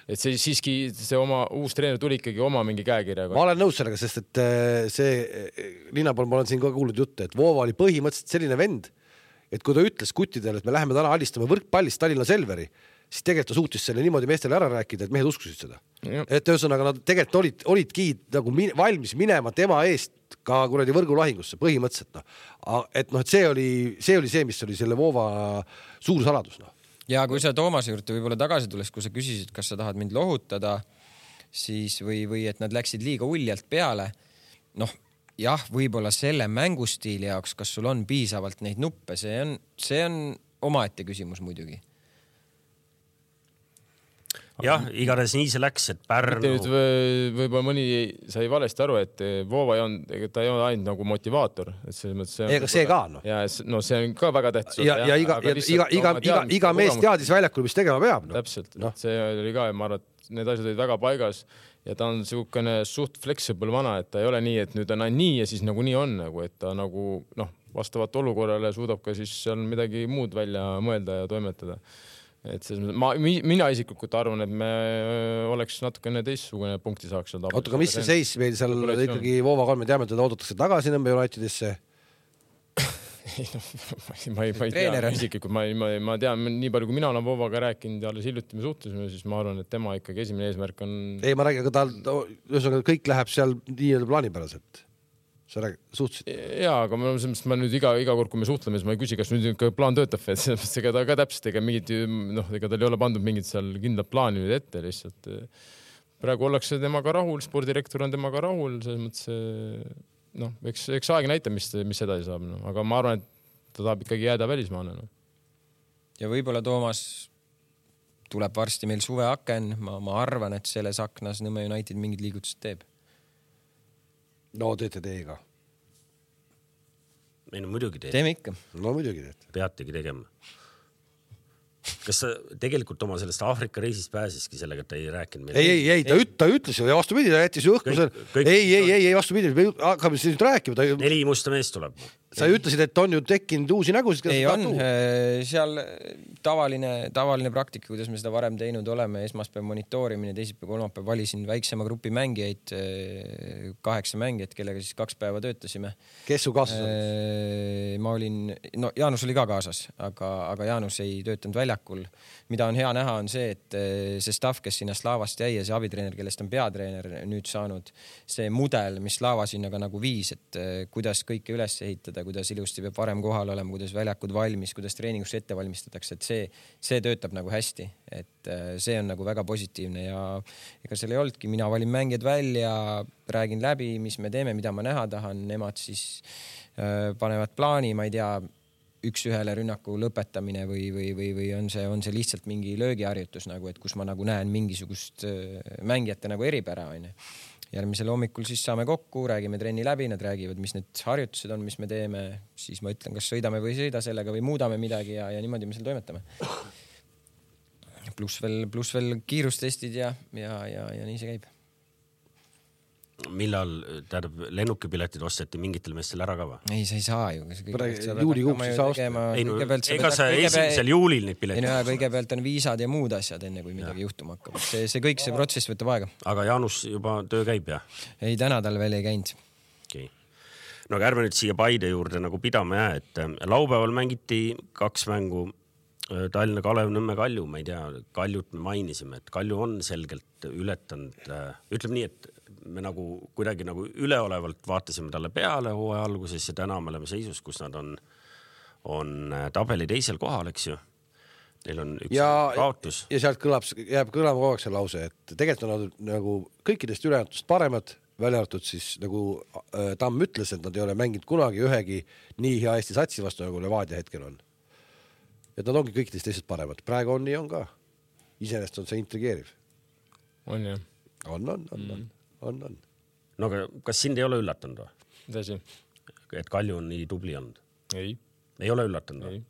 et see siiski see oma uus treener tuli ikkagi oma mingi käekirjaga. Ma olen nõus sellega, sest et see linna pool ma olen siin ka kuulnud jutte, et Voova oli põhimõtteliselt selline vend, et kui ta ütles kuttidele, et me läheme täna alistame võrkpallist Tallinna Selveri, siis tegelikult ta suutis selle niimoodi meestele ära rääkida, et mehed uskusid seda. Ja. Et ühesõnaga nad tegelikult olid, olidki nagu min, valmis minema tema eest ka kuradi võrgulahingusse põhimõtteliselt. No. Et, no, et see, oli, see oli see, mis oli selle Voova suur saladus. No. Ja kui sa Toomase juurde võib-olla tagasi tules, kui sa küsisid, kas sa tahad mind lohutada, siis või, või et nad läksid liiga uljalt peale, noh, jah, võib-olla selle mängustiili jaoks, kas sul on piisavalt neid nuppe, see on, see on omaette küsimus muidugi. Jah, igatahes nii see läks, et Pärnu... Võib-olla mõni sai valesti aru, et Voova ei on, ta ei ole ainult nagu motivaator. Et see, see, Ega see ka, no. Ja no see on ka väga tähtis. Ja, ja, ja iga, iga, iga, iga, iga mees teadis väljakul, mis tegema peab. No. Täpselt, no. See oli ka, ma arvan, et need asjad olid väga paigas ja ta on siukene suht flexible vana, et ta ei ole nii, et nüüd on nii ja siis nagu nii on, nagu, et ta nagu noh, vastavat olukorrale suudab ka siis seal midagi muud välja mõelda ja toimetada. Et see, ma, mina isiklikult arvan, et me oleks natukene teistsugune punkti saaks. Oota, aga mis see seis meil seal ikkagi Voova kolme teame, teda oodatakse tagasi Nõmme Unitedisse? ma ei, ma ei tea isiklikult, ma, ma, ma tean nii palju, kui mina olen Voovaga rääkinud ja alles hiljuti me suhtlesime, siis ma arvan, et tema ikkagi esimene eesmärk on... Ei, ma räägin, aga ta, kõik läheb seal nii-öelda plaanipäraselt. Sa rääg, suhtsid? Jaa, aga ma, ma nüüd iga, iga kord, kui me suhtleme, siis ma ei küsi, kas nüüd plaan töötab, et ega ta ka täpselt, ega mingid, noh, ega tal ei ole pandud mingid seal kindlad plaani nüüd ette lihtsalt. Praegu ollakse temaga rahul, spordirektor on temaga rahul, selles mõttes, noh, eks, eks aeg näita, mis, mis edasi saab, no. Aga ma arvan, et ta tahab ikkagi jääda välismaale. No. Ja võib-olla Toomas tuleb varsti meil suveaken, ma, ma arvan, et selles aknas Nõmme United mingid liigutused teeb. No teete teiega. Ei no muidugi teete. Teeme ikka. No muidugi teete. Peategi tegema. Kas ta tegelikult oma sellest Aafrika reisist pääsiski sellega, et ta ei rääkinud meil? Ei, ei, ei, ta, üt, ta ütles ju ja vastupidi, ta jättis ju õhku selle. Ei, ei, ei, ei, vastupidi, hakkame siis nüüd rääkima. Ta... Neli musta meest tuleb. Sa ütlesid, et on ju tekkinud uusi nägusid. Ei on, seal tavaline, tavaline praktika, kuidas me seda varem teinud oleme, esmaspäev monitoorimine, teisipäev, kolmapäev valisin väiksema grupi mängijaid, kaheksa mängijat, kellega siis kaks päeva töötasime. Kes su kaasas olid? Ma olin, no Jaanus oli ka kaasas, aga, aga Jaanus ei töötanud väljakul. Mida on hea näha on see, et see staff, kes sinna Slaavast jäi ja see abitreener, kellest on peatreener nüüd saanud, see mudel, mis Slaava sinnaga nagu viis, et kuidas kõike üles ehitada, kuidas ilusti peab varem kohal olema, kuidas väljakud valmis, kuidas treeningusse ette valmistatakse, et see, see töötab nagu hästi, et see on nagu väga positiivne ja ega seal ei olnudki, mina valin mängijad välja, räägin läbi, mis me teeme, mida ma näha tahan, nemad siis äh, panevad plaani, ma ei tea, üks ühele rünnaku lõpetamine või, või, või, või on see, on see lihtsalt mingi löögiharjutus nagu, et kus ma nagu näen mingisugust äh, mängijate nagu eripära, on ju. Järgmisel hommikul siis saame kokku, räägime trenni läbi, nad räägivad, mis need harjutused on, mis me teeme, siis ma ütlen, kas sõidame või sõida sellega või muudame midagi ja, ja niimoodi me seal toimetame. Plus veel, plus veel kiirustestid ja, ja, ja, ja nii see käib. millal tähendab lennukipiletid osteti mingitel meestel ära ka või? Ei, sa ei saa ju. Juulikuuks ei saa osta. Ei, no, ega sa esimesel juulil neid piletid ei, no, kõigepealt on viisad ja muud asjad, enne kui midagi ja. juhtuma hakkab. See, see kõik see protsess võtab aega. Aga Jaanus juba töö käib, jah? Ei, täna tal veel ei käinud. Okay. No aga ärme nüüd siia Paide juurde nagu pidama jää, et laupäeval mängiti kaks mängu Tallinna Kalev, Nõmme Kalju, ma ei tea, Kaljut me mainisime, et Kalju on selgelt ületanud, ütleme nii, et me nagu kuidagi nagu üleolevalt vaatasime talle peale hooaja alguses ja täna me oleme seisus, kus nad on, on tabeli teisel kohal, eks ju. Neil on üks ja, kaotus. Ja sealt kõlab, jääb kõlama kogu aeg see lause, et tegelikult on nad nagu kõikidest ülejäätust paremad, välja arvatud siis nagu Tamm ütles, et nad ei ole mänginud kunagi ühegi nii hea Eesti satsi vastu, nagu Levadia hetkel on. Et nad ongi kõikidest teised paremad. Praegu on nii on ka. Iseenest on see intrigeeriv. On jah. On, on, on, on. On, on. No aga kas sind ei ole üllatanud või? Tõsi. Et Kalju on nii tubli olnud? Ei. Ei ole üllatanud või?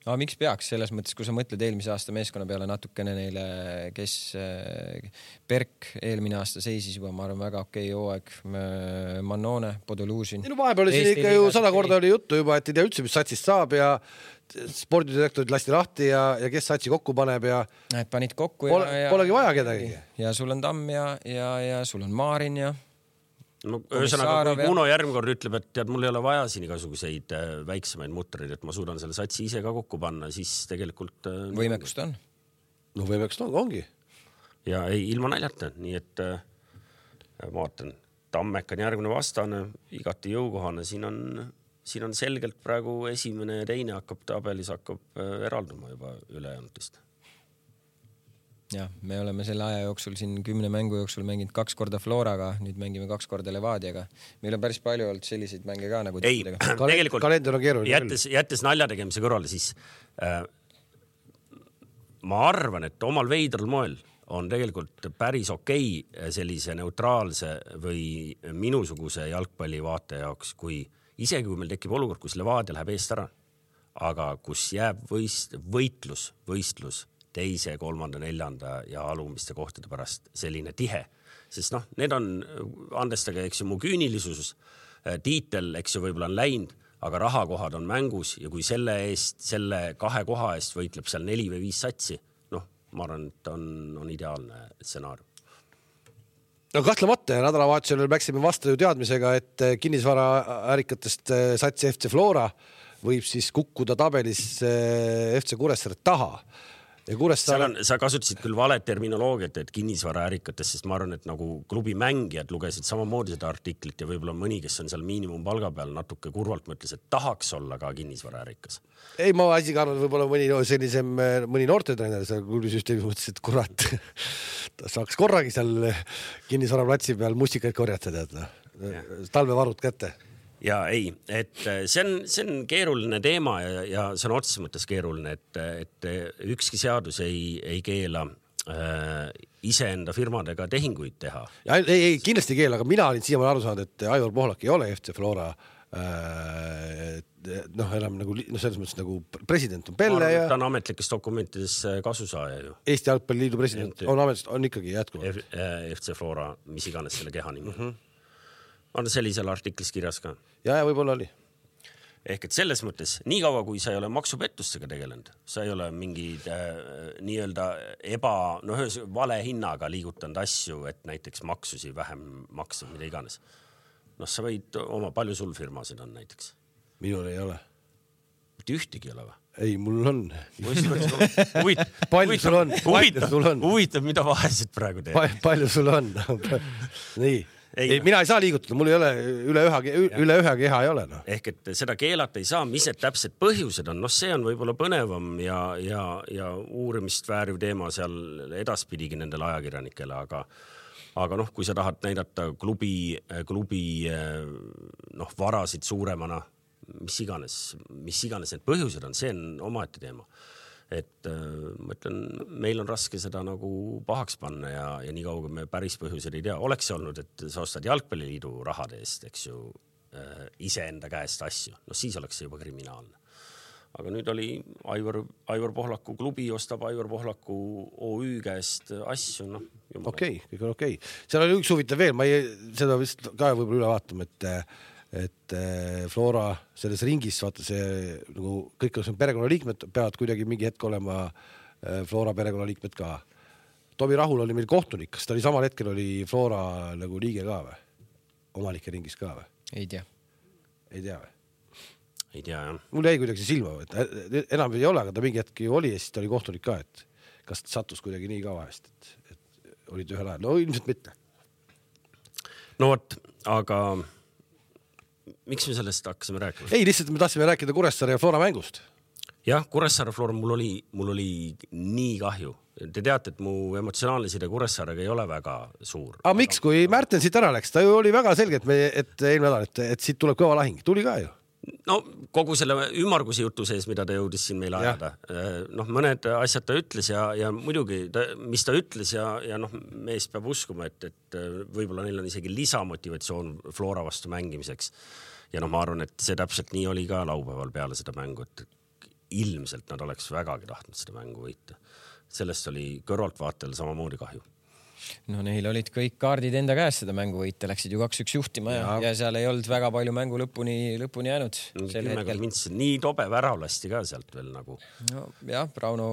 Aga miks peaks selles mõttes, kui sa mõtled eelmise aasta meeskonna peale natukene neile, kes Berk eelmine aasta seisis juba, ma arvan, väga okei hooaeg, Mannone, Podolužin. No vahepeal oli siin ikka ju sada korda oli juttu juba, et ei tea üldse, mis satsist saab ja spordidirektorid lasti lahti ja, ja kes satsi kokku paneb ja et panid kokku pole, ja, polegi vaja kedagi. Ja sul on Tamm ja, ja, ja sul on Maarin ja no ühesõnaga, kui Kuno järgmine ütleb, et tead, mul ei ole vaja siin igasuguseid väiksemaid mutreid, et ma suudan selle satsi ise ka kokku panna, siis tegelikult võimekust on. No võimekust on, ongi. Ja ei, ilma naljata, nii et ma vaatan, Tammek on järgmine vastane, igati jõukohane, siin on, siin on selgelt praegu esimene ja teine hakkab tabelis hakkab eralduma juba ülejääntest. Ja, me oleme selle aja jooksul siin kümne mängu jooksul mänginud kaks korda Floraga, nüüd mängime kaks korda Levadiaga. Meil on päris palju olnud selliseid mänge ka nagu ei, tegelikult kalender on keeruline. Jättes, jättes nalja tegemise kõrvale, siis äh, ma arvan, et omal veidral moel on tegelikult päris okei sellise neutraalse või minusuguse jalgpalli vaate jaoks, kui isegi kui meil tekib olukord, kus Levadia läheb eest ära, aga kus jääb võist, võitlus, võistlus teise, kolmanda, neljanda ja alumiste kohtade pärast selline tihe. Sest noh, need on, andestage, eks ju, mu küünilisus, tiitel, eks ju, võib-olla on läinud, aga rahakohad on mängus ja kui selle eest, selle kahe koha eest võitleb seal neli või viis satsi, noh, ma arvan, et on, on ideaalne stsenaarium. No kahtlemata ja nädalavahetusel läksime vastu ju teadmisega, et kinnisvara ärikatest satsi F C Flora võib siis kukkuda tabelis F C Kuressaare taha. Ja Kuressaare... on, sa kasutasid küll vale terminoloogiat, et kinnisvara ärikatest, sest ma arvan, et nagu klubi mängijad lugesid samamoodi seda artiklit ja võib-olla mõni, kes on seal miinimumpalga peal natuke kurvalt mõtles, et tahaks olla ka kinnisvara ärikas. Ei, ma isegi arvan, et võib-olla mõni, sellisem, mõni noortetreener seal klubisüsteemis mõtles, et kurat, ta saaks korragi seal kinnisvara platsi peal mustikaid korjata, tead, no. Talvevarud kätte. Ja ei, et see on, see on keeruline teema ja, ja see on otseses mõttes keeruline, et, et ükski seadus ei, ei keela äh, iseenda firmadega tehinguid teha. Ja, ei, ei, kindlasti ei keela, aga mina olin siiamaani aru saanud, et Aivar Pohlak ei ole F C Flora äh, noh, enam nagu, no selles mõttes nagu president on Pelle arvan, ja... Ta on ametlikes dokumentides kasusaaja ju. Eesti Jalgpalliliidu president on ametist, on ikkagi jätkuvalt. F, F C Flora, mis iganes selle keha nimi. Mm-hmm. On sellisel artiklis kirjas ka. Ja, ja võib-olla oli. Ehk et selles mõttes, nii kaua kui sa ei ole maksupettustega tegelenud, sa ei ole mingid äh, nii-öelda eba, no vale hinnaga liigutanud asju, et näiteks maksusi vähem maksa, mida iganes. No sa võid oma, palju sul firmasid on näiteks? Minul ei ole. Mitte ühtegi ei ole või? Ei, mul on. Palju sul on? Huvitav, mida vahesid praegu teed? Palju sul on? Nii. Ei, ei, mina ei saa liigutada, mul ei ole üle ühe, üle ühe keha ei ole. No. Ehk et seda keelata ei saa, mis need täpsed põhjused on, no see on võib-olla põnevam ja, ja, ja uurimist vääriv teema seal edaspidigi nendele ajakirjanikele, aga, aga noh, kui sa tahad näidata klubi, klubi noh, varasid suuremana, mis iganes, mis iganes need põhjused on, see on omaette teema. Et ma ütlen, meil on raske seda nagu pahaks panna ja, ja nii kauga me päris põhjused ei tea. Oleks see olnud, et sa ostad Jalgpalliliidu rahade eest, eks ju, äh, ise enda käest asju. No siis oleks see juba kriminaalne. aga nüüd oli Aivar, Aivar Pohlaku klubi ostab Aivar Pohlaku O Ü käest asju, noh. Okei, okay, kõik on okei okay. Seal oli üks huvitav veel, ma ei, seda vist ka võib-olla üle vaatama, et, et Flora selles ringis, vaata see, nagu kõik on perekonnaliikmed, peavad kuidagi mingi hetk olema Flora perekonnaliikmed ka. Tomi Rahul oli meil kohtunik, kas ta oli samal hetkel oli Flora nagu liige ka või? Omanike ringis ka või? Ei tea. Ei tea või? Ei tea, jah. Mul jäi kuidagi silma, et enam ei ole, aga ta mingi hetki oli ja siis ta oli kohtunik ka, et kas ta sattus kuidagi nii ka vahest, et, et olid ühel ajal. No ilmselt mitte. No vot, aga miks me sellest hakkasime rääkima? Ei, lihtsalt me tahtsime rääkida Kuressaare ja Flora mängust. Jah, Kuressaare Flora, mul oli, mul oli nii kahju. Te teate, et mu emotsionaalne side Kuressaarega ei ole väga suur. Aga miks, kui Märten siit ära läks, ta ju oli väga selge, et, me, et eelmine nädal, et, et siit tuleb kõva lahing. Tuli ka ju. No kogu selle ümmargusi jutu sees, mida ta jõudis siin meile ajada. Noh, mõned asjad ta ütles ja, ja muidugi, ta, mis ta ütles ja, ja noh, mees peab uskuma, et, et võib-olla neil on isegi lisamotivatsioon Flora vastu mängimiseks. Ja noh, ma arvan, et see täpselt nii oli ka laupäeval peale seda mängu, et ilmselt nad oleks vägagi tahtnud seda mängu võita. Sellest oli kõrvaltvaatel samamoodi kahju. No neil olid kõik kaardid enda käes seda mängu võita, läksid ju kaks üks juhtima ja, ja, ja seal ei olnud väga palju mängu lõpuni, lõpuni jäänud. Nii tobe värav lasti ka sealt veel nagu. No jah, Rauno,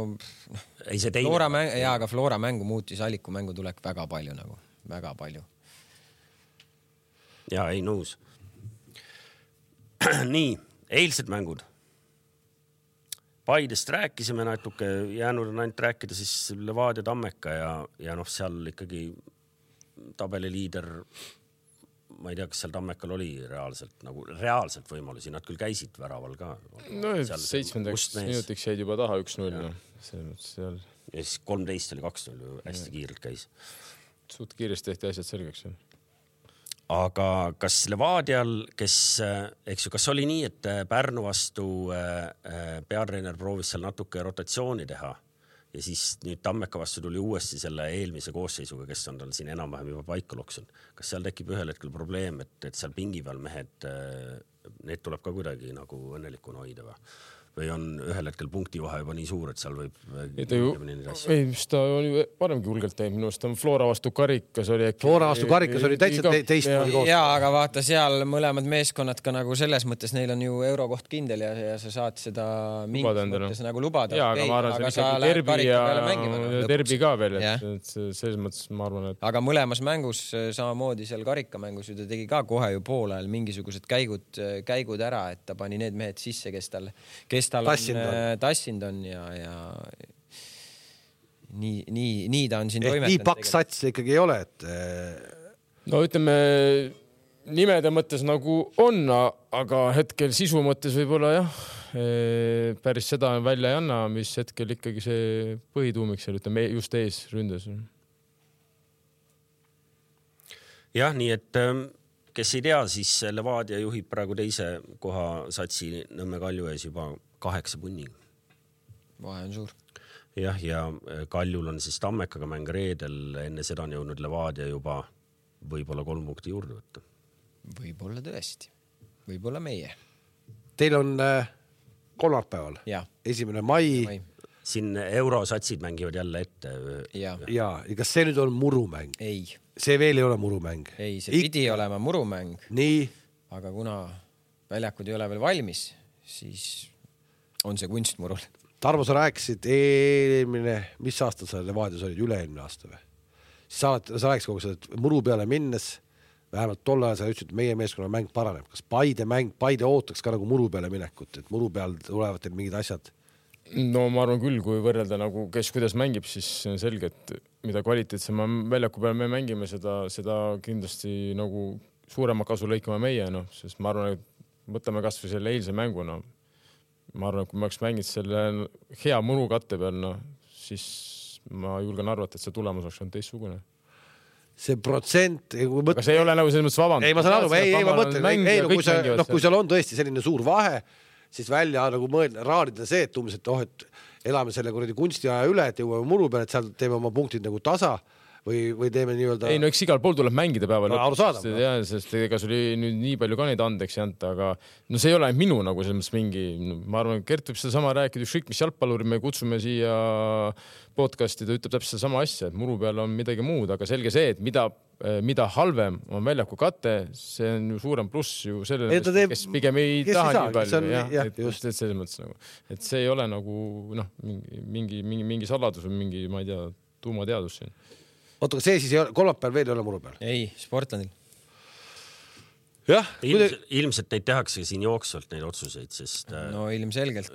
ei see teine. Flora mäng, jaa, aga Flora mängu muutis Alliku mängu tulek väga palju nagu, väga palju. Jaa, ei nõus. Nii, eilsed mängud. Paidest rääkisime natuke, jäänud on ainult rääkida siis Levadia Tammeka ja, ja noh, seal ikkagi tabeliliider, ma ei tea, kas seal Tammekal oli reaalselt, nagu reaalselt võimalusi, nad küll käisid väraval ka. No seitsmendaks minutiks jäid juba taha üks null. No. Seal... Ja siis kolmteist oli kaks null, hästi kiirelt käis. Suht kiiresti tehti asjad selgeks. Aga kas Levadial, kes, eks ju, kas oli nii, et Pärnu vastu peatreener proovis seal natuke rotatsiooni teha ja siis nüüd Tammeka vastu tuli uuesti selle eelmise koosseisuga, kes on tal siin enam-vähem juba paika loksunud. Kas seal tekib ühel hetkel probleem, et, et seal pingi peal mehed, need tuleb ka kuidagi nagu õnnelikuna hoida või? Või on ühel hetkel punkti vahe juba nii suur, et seal võib... Ju, ei, mis ta oli varemgi hulgelt teinud, minu arust on Flora vastu Karikas oli äkki... Flora vastu Karikas oli täitsa te, teist moodi koos. Jaa, aga vaata seal mõlemad meeskonnad ka nagu selles mõttes, neil on ju eurokoht kindel ja, ja sa saad seda mingis mõttes nagu lubada. Jaa, aga ma arvan, see on derbi ja derbi ka veel, et selles mõttes ma arvan, et... Aga mõlemas mängus, samamoodi seal Karikamängus ju ta tegi ka kohe ju poole ajal mingisugused käigud, käigud ära, et ta pani need mehed sisse, kes tal, kes tal tassind on, tassind on ja, ja nii, nii, nii ta on siin toimetanud. Nii paks sats ikkagi ei ole, et... No ütleme, nimede mõttes nagu on, aga hetkel sisu mõttes võib-olla jah, päris seda välja ei anna, mis hetkel ikkagi see põhituumik seal, ütleme, just ees ründes. Jah, nii et... Kes ei tea, siis Levadia juhib praegu teise koha satsi Nõmme Kalju ees juba kaheksa punni. Vahe on suur. Jah, ja Kaljul on siis Tammekaga mäng reedel, enne seda on jõudnud Levadia juba võib-olla kolm punkti juurde võtta. Võib-olla tõesti. Võib-olla meie. Teil on äh, kolmapäeval. Ja. Esimene mai. mai. Siin eurosatsid mängivad jälle ette. Ja. Ja, ja kas see nüüd on murumäng? Ei. See veel ei ole murumäng. Ei, see pidi Ik... olema murumäng. Nii. Aga kuna väljakud ei ole veel valmis, siis on see kunstmurul. Tarmo, sa rääkisid eelmine, mis aasta sa Levadias olid, üle-eelmine aasta või? Sa, sa rääkisid kogu seda, et muru peale minnes, vähemalt tol ajal sa ütlesid, et meie meeskonna mäng paraneb. Kas Paide mäng, Paide ootaks ka nagu muru peale minekut, et muru peal tulevad teil mingid asjad? No ma arvan küll, kui võrrelda nagu kes kuidas mängib, siis on selge, et mida kvaliteetsema väljaku peal me mängime, seda, seda kindlasti nagu suurema kasu lõikame meie, no, sest ma arvan, et võtame kas või selle eilse mängu, no. Ma arvan, et kui ma oleks mänginud selle hea muru katte peal, no, siis ma julgen arvata, et see tulemus oleks olnud teistsugune. See protsent... Mõt... Aga see ei ole nagu selles mõttes vaband. Ei, ma saan aru, ei, ei, ma mõtlen, ei, ei, no, kui, sa, no, kui seal on tõesti selline suur vahe, siis välja nagu mõelda, raarida see, et umbes, et oh, et elame selle kuradi kunstiaja üle, et jõuame muru peale, et seal teeme oma punktid nagu tasa. või, või teeme nii-öelda. Ei, no eks igal pool tuleb mängida päeva no, lõpuks. Ja, sest ega sul oli nüüd nii palju ka neid andeks jäänud, aga no see ei ole minu nagu selles mingi, ma arvan, Gert võib seda sama rääkida, ükskõik mis jalgpalluri me kutsume siia podcasti, ta ütleb täpselt sama asja, et muru peal on midagi muud, aga selge see, et mida mida halvem on väljaku kate, see on ju suurem pluss ju sellele, teeb, kes pigem ei taha ei nii palju. On, jah, jah, et, just. Et selles mõttes nagu, et see ei ole nagu noh, mingi, mingi, mingi, mingi saladus või mingi, ma ei tea, tuumateadus siin. Oota, see siis ei ole, kolmapäeval veel ei ole muru peal? Ei, Sportlandil. Jah. Ilms, ilmselt neid tehakse siin jooksvalt neid otsuseid, sest... No ilmselgelt.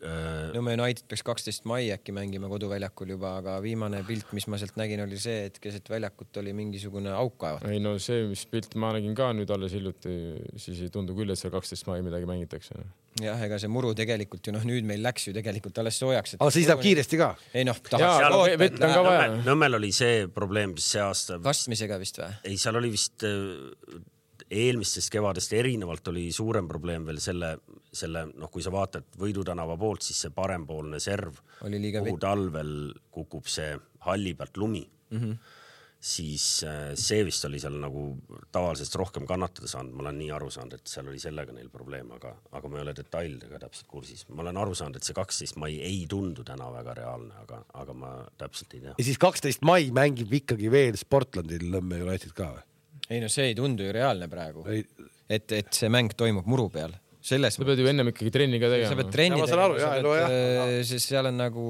Nõmme United peaks kaksteist mai äkki mängima koduväljakul juba, aga viimane pilt, mis ma sealt nägin, oli see, et keset väljakut oli mingisugune auk kaevat. Ei no see, mis pilt ma nägin ka nüüd alles hiljuti, siis ei tundu küll, et seal kaksteist mai midagi mängitakse. Jah, ega see muru tegelikult ju noh, nüüd meil läks ju tegelikult alles soojaks. Aga siis läheb kiiresti ka? Ei noh, tahaks. Nõmmel oli see probleem see aasta. Kastmisega vist või? Ei, seal oli vist eelmistest kevadest erinevalt oli suurem probleem veel selle, selle noh, kui sa vaatad Võidutänava poolt, siis see parempoolne serv, kuhu talvel kukub see halli pealt lumi, mm-hmm. siis see vist oli seal nagu tavalisest rohkem kannatada saanud. Ma olen nii aru saanud, et seal oli sellega neil probleem, aga, aga ma ei ole detailidega täpselt kursis. Ma olen aru saanud, et see kaksteist mai ei tundu täna väga reaalne, aga, aga ma täpselt ei tea. Ja siis kaksteist mai mängib ikkagi veel Sportlandil Nõmme United ka või? Ei no see ei tundu ju reaalne praegu, et, et see mäng toimub muru peal. Selles sa pead ju ennem ikkagi trenni ka tegema. Sa pead trenni tegema, siis seal on nagu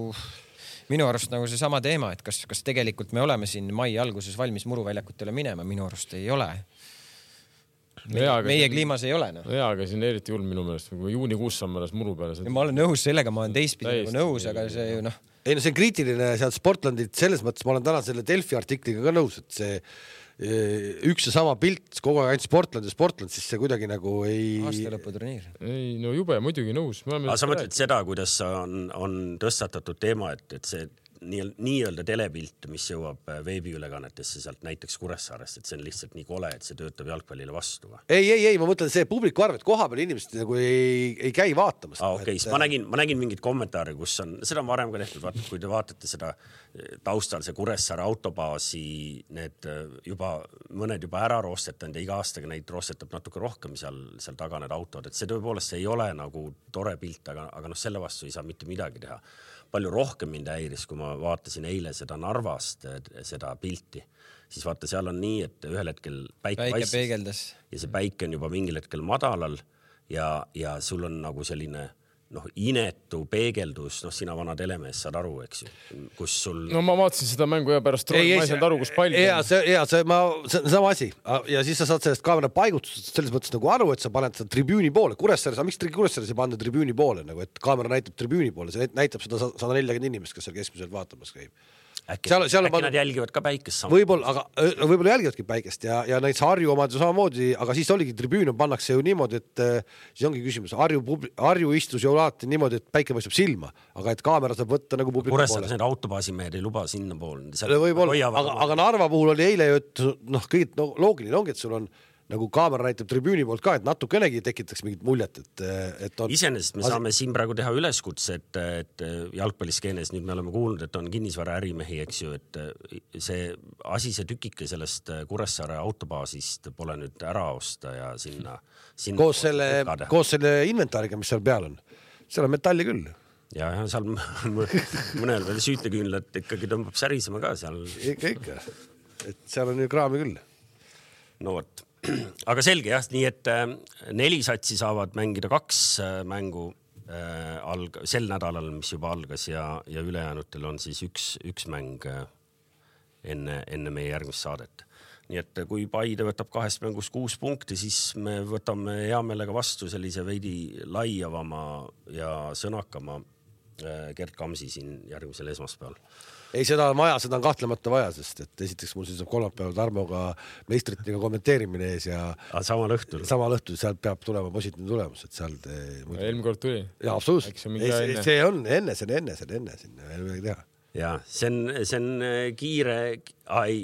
minu arust nagu see sama teema, et kas, kas tegelikult me oleme siin mai alguses valmis muruväljakutele minema, minu arust ei ole. Meie, ja, meie kliimas ei ole. No. Jaa, aga siin eriti hull minu meelest, kui juunikuus saame alles muru peale. Ja ma olen nõus sellega, ma olen teistpidi nagu nõus, aga see ju noh. Ei no see on kriitiline sealt Sportlandit, selles mõttes ma olen täna selle Delfi artikliga ka nõus, et see üks ja sama pilt kogu aeg ainult Sportland ja Sportland, siis see kuidagi nagu ei... Aastalõputurniir. Ei, no jube, muidugi nõus. Aga sa mõtled seda, kuidas on, on tõstatatud teema, et, et see nii-öelda telepilt, mis jõuab veebiülekannetesse sealt näiteks Kuressaarest, et see on lihtsalt nii kole, et see töötab jalgpallile vastu. Või? Ei, ei, ei, ma mõtlen see publiku arv, et koha peal inimesed nagu ei, ei käi vaatamas. Ah, okay. et... ma, nägin, ma nägin mingit kommentaari, kus on, seda on varem ka tehtud, vaata, kui te vaatate seda taustal, see Kuressaare autobaasi, need juba, mõned juba ära roostetanud ja iga aastaga neid roostetab natuke rohkem seal, seal taga need autod, et see tõepoolest ei ole nagu tore pilt, aga, aga noh, selle vastu ei saa mitte midagi teha. Palju rohkem mind häiris, kui ma vaatasin eile seda Narvast, seda pilti, siis vaata, seal on nii, et ühel hetkel päike, päike peegeldas ja see päike on juba mingil hetkel madalal ja, ja sul on nagu selline noh, inetu peegeldus, noh, sina vana telemees saad aru, eks ju, kus sul... No ma vaatasin seda mängu ja pärast ei, ma ei saanud aru, kus palju. Ja, see, ja see, ma, see on sama asi ja siis sa saad sellest kaamera paigutusest selles mõttes nagu aru, et sa paned seda tribüüni poole. Kuressaare, sa miks Kuressaare ei panna tribüüni poole, nagu, et kaamera näitab tribüüni poole, see näitab seda sada nelikümmend inimest, kes seal keskmiselt vaatamas käib. Äkki, seal, seal äkki on... nad jälgivad ka päikest samal. Võib-olla, aga võib-olla jälgivadki päikest ja, ja näiteks Harju omad ju samamoodi, aga siis oligi tribüün pannakse ju niimoodi, et siis ongi küsimus, Harju, Harju istus ju alati niimoodi, et päike paistab silma, aga et kaamera saab võtta nagu publiku poole. Kuressaare need autobaasimehed ei luba sinna pool. Võib-olla, aga, aga Narva puhul oli eile ju, et noh, kõigit no, loogiline ongi, et sul on nagu kaamera näitab tribüüni poolt ka, et natukenegi tekitaks mingit muljet, et, et on... Iseenesest me saame siin praegu teha üleskutse, et, et jalgpalliskeenes nüüd me oleme kuulnud, et on kinnisvara ärimehi, eks ju, et see asi, see tükike sellest Kuressaare autobaasist pole nüüd ära osta ja sinna... sinna koos, selle, koos selle inventaariga, mis seal peal on. Seal on metalli küll. Ja, ja seal mõnel veel süüteküünlad ikkagi tõmbab särisema ka seal. Ikka, ikka. Et seal on ju kraami küll. No vot. Aga selge jah, nii et neli satsi saavad mängida kaks mängu alg, sel nädalal, mis juba algas ja, ja ülejäänutel on siis üks, üks mäng enne, enne meie järgmist saadet. Nii et kui Paide võtab kahest mängust kuus punkti, siis me võtame hea meelega vastu sellise veidi laiavama ja sõnakama Gert Kamsi siin järgmisel esmaspäeval. Ei, seda on vaja, seda on kahtlemata vaja, sest et esiteks mul siis on kolmapäeval Tarmoga meistritega kommenteerimine ees ja samal õhtul. Samal õhtul, sealt peab tulema positiivne tulemus, et seal te... Eelmine kord tuli. Ja, absoluutselt. See, see on enne, see on enne, see on enne sinna veel midagi teha. Ja, see on, see on kiire... Ai,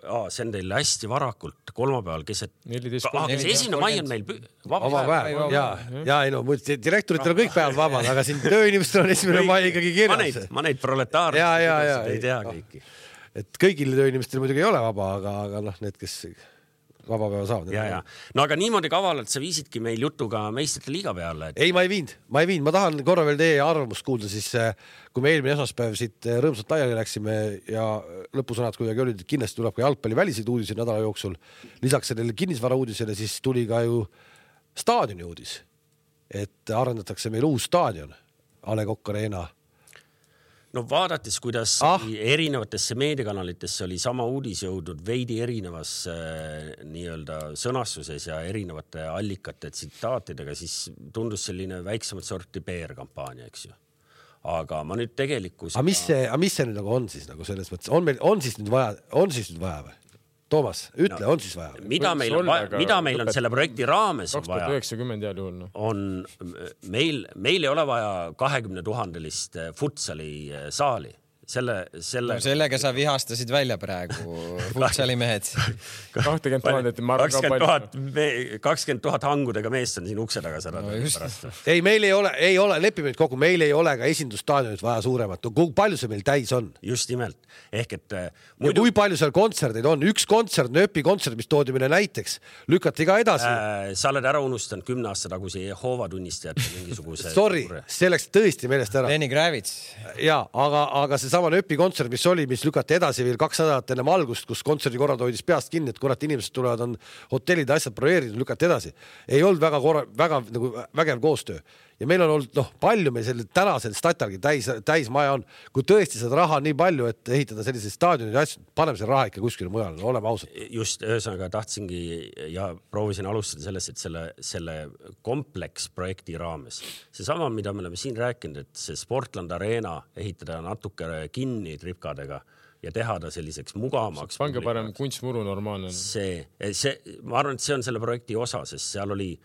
Aa, see on teil hästi varakult kolmapäeval keset ah, kes esimene mai on meil vaba, vaba päev, päev. Ja, ja ei no direktoritel on kõik päevad vabad, aga siin tööinimestel on esimene mai ikkagi kirjas. Ma neid, ma neid proletaare ja, ja, ja, ei tea kõiki. et kõigil tööinimestel muidugi ei ole vaba, aga, aga noh, need, kes vaba päeva saavad. Ja, ja. No aga niimoodi kavalalt sa viisidki meil jutuga meistrite liiga peale. Et... ei, ma ei viinud, ma ei viinud, ma tahan korra veel teie arvamust kuulda, siis kui me eelmine esmaspäev siit rõõmsalt laiali läksime ja lõpusõnad kuidagi olid, et kindlasti tuleb ka jalgpalli väliseid uudiseid nädala jooksul. Lisaks sellele kinnisvara uudisele siis tuli ka ju staadioni uudis, et arendatakse meil uus staadion, A Le Coq Arena. No vaadates, kuidas ah. erinevatesse meediakanalitesse oli sama uudis jõudnud veidi erinevas äh, nii-öelda sõnastuses ja erinevate allikate tsitaatidega, siis tundus selline väiksemat sorti P R-kampaania, eks ju. Aga ma nüüd tegelikult... Aga mis see, aga mis see nüüd nagu on siis nagu selles mõttes? On, meil, on siis nüüd vaja, on siis nüüd vaja või? Toomas, ütle, no, on siis vaja? Mida meil, on, vaja, mida meil on selle projekti raames kaks tuhat üheksakümmend jääl juhul, no. on meil, meil ei ole vaja kahekümne tuhandelist futsali saali. Selle, selle... No sellega sa vihastasid välja praegu futsali mehed. kakskümmend tuhat, ma arvan ka palju. kakskümmend tuhat hangudega meest on siin ukse taga seda. No ei, meil ei ole, ei ole, lepime nüüd kokku, meil ei ole ka esindusstaadionit vaja suuremat. Kui palju see meil täis on? Just nimelt. Ehk et... Muidu... Kui palju seal kontserdeid on? Üks kontsert, nööpi kontsert, mis toodi meile näiteks, lükati ka edasi. Äh, sa oled ära unustanud kümne aasta tagusi Jehoova tunnistajate mingisuguse... Sorry, see läks tõesti meelest ära. Lenny Kravitz. Ja, aga, aga see sama nööpi kontsert, mis oli, mis lükati edasi veel kaks nädalat enne algust, kus kontserdi korrad hoidis peast kinni, et kurat inimesed tulevad, on hotellid asjad brojeerinud, lükati edasi. Ei olnud väga, korra, väga nagu, vägev koostöö. Ja meil on olnud, noh, palju meil selle tänasel statargi täis, täis maja on, kui tõesti seda raha on nii palju, et ehitada selliseid staadionid ja asjad, paneme selle raha ikka kuskile mujal, no, oleme ausad. Just, ühesõnaga tahtsingi ja proovisin alustada sellest, et selle, selle kompleksprojekti raames. See sama, mida me oleme siin rääkinud, et see Sportland Arena ehitada natuke kinni tripkadega ja teha ta selliseks mugavamaks. Pange parem kunstmuru normaalne. See, see, ma arvan, et see on selle projekti osa, sest seal oli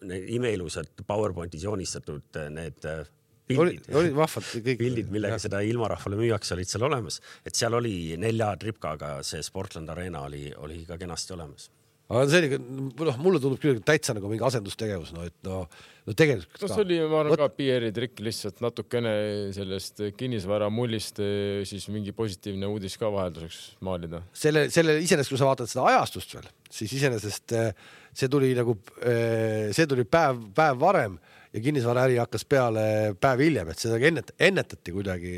need imeilusad PowerPointis joonistatud need pildid, oli, oli vahvad, kõik. pildid, millega ja. Seda ilmarahvale müüaks, olid seal olemas. Et seal oli nelja tripkaga see Sportland Arena oli, oli ka kenasti olemas. Aga see oli, noh, mulle tundub küll täitsa nagu mingi asendustegevus, no, et no, no tegelikult no, see oli, ma arvan, ka P R-i trikk lihtsalt natukene sellest kinnisvara mullist siis mingi positiivne uudis ka vahelduseks maalida. Selle, selle iseenesest, kui sa vaatad seda ajastust veel, siis iseenesest see tuli nagu, see tuli päev, päev varem ja kinnisvaraäri hakkas peale päev hiljem, et seda ennet, ennetati kuidagi,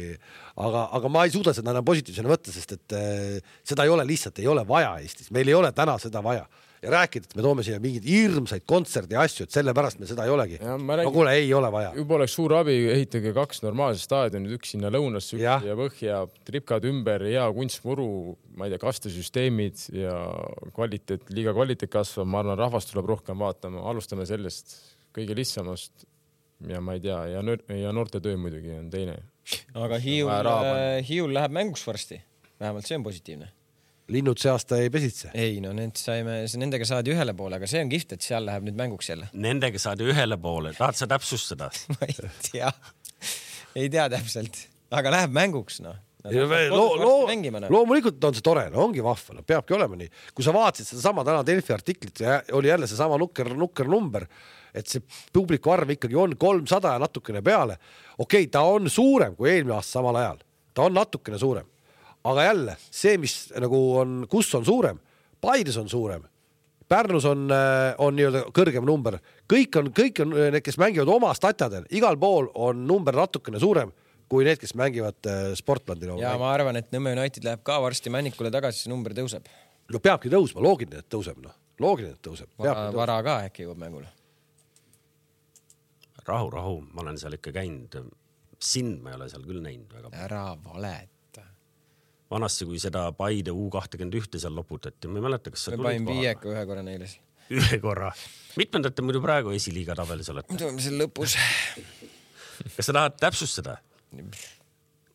aga, aga ma ei suuda seda enam positiivsena võtta, sest et seda ei ole lihtsalt, ei ole vaja Eestis, meil ei ole täna seda vaja. Ja rääkida, et me toome siia mingid hirmsaid kontserdi asju, et sellepärast me seda ei olegi. Ja, räägin, no kuule, ei ole vaja. Juba oleks suur abi, ehitage kaks normaalset staadionit, üks sinna lõunasse, üks ja, ja põhja, tripkad ümber, hea kunstmuru, ma ei tea, kastesüsteemid ja kvaliteet, liiga kvaliteet kasvab, ma arvan, rahvast tuleb rohkem vaatama, alustame sellest kõige lihtsamast ja ma ei tea, ja, nör- ja noorte töö muidugi on teine. Aga Hiiul, Hiiul läheb mänguks varsti, vähemalt see on positiivne. Linnud see aasta ei pesitse? Ei, no need saime, nendega saadi ühele poole, aga see on kihvt, et seal läheb nüüd mänguks jälle. Nendega saadi ühele poole, tahad sa täpsustada? Ma ei tea, ei tea täpselt, aga läheb mänguks, noh. Loo, loo, loomulikult on see tore, no ongi vahva, no peabki olema nii. Kui sa vaatasid seda sama täna Delfi artiklit, oli jälle see sama nukker, nukker number, et see publiku arv ikkagi on kolmsada ja natukene peale. Okei, ta on suurem kui eelmine aasta samal ajal. Ta on natukene suurem. Aga jälle, see, mis nagu on, kus on suurem, Paides on suurem, Pärnus on, on nii-öelda kõrgem number. Kõik on, kõik on need, kes mängivad oma statjadel. Igal pool on number natukene suurem kui need, kes mängivad Sportlandil. Ja ma arvan, et Nõmme United läheb ka varsti Männikule tagasi, see number tõuseb. No peabki tõusma, loogiline, et tõuseb. No. Loogiline, et tõuseb. Vara, vara ka äkki jõuab mängule. Rahu, rahu, ma olen seal ikka käinud. Sind ma ei ole seal küll näinud. Väga. Ära valet. Vanasti, kui seda Paide U kakskümmend üks seal loputati, ma ei mäleta, kas sa tulid kohal. Me panin viieka ühe korra neile. Ühe korra. Mitmendate muidu praegu esiliiga tabelis olete? Tuleme seal lõpus. Kas sa tahad täpsustada?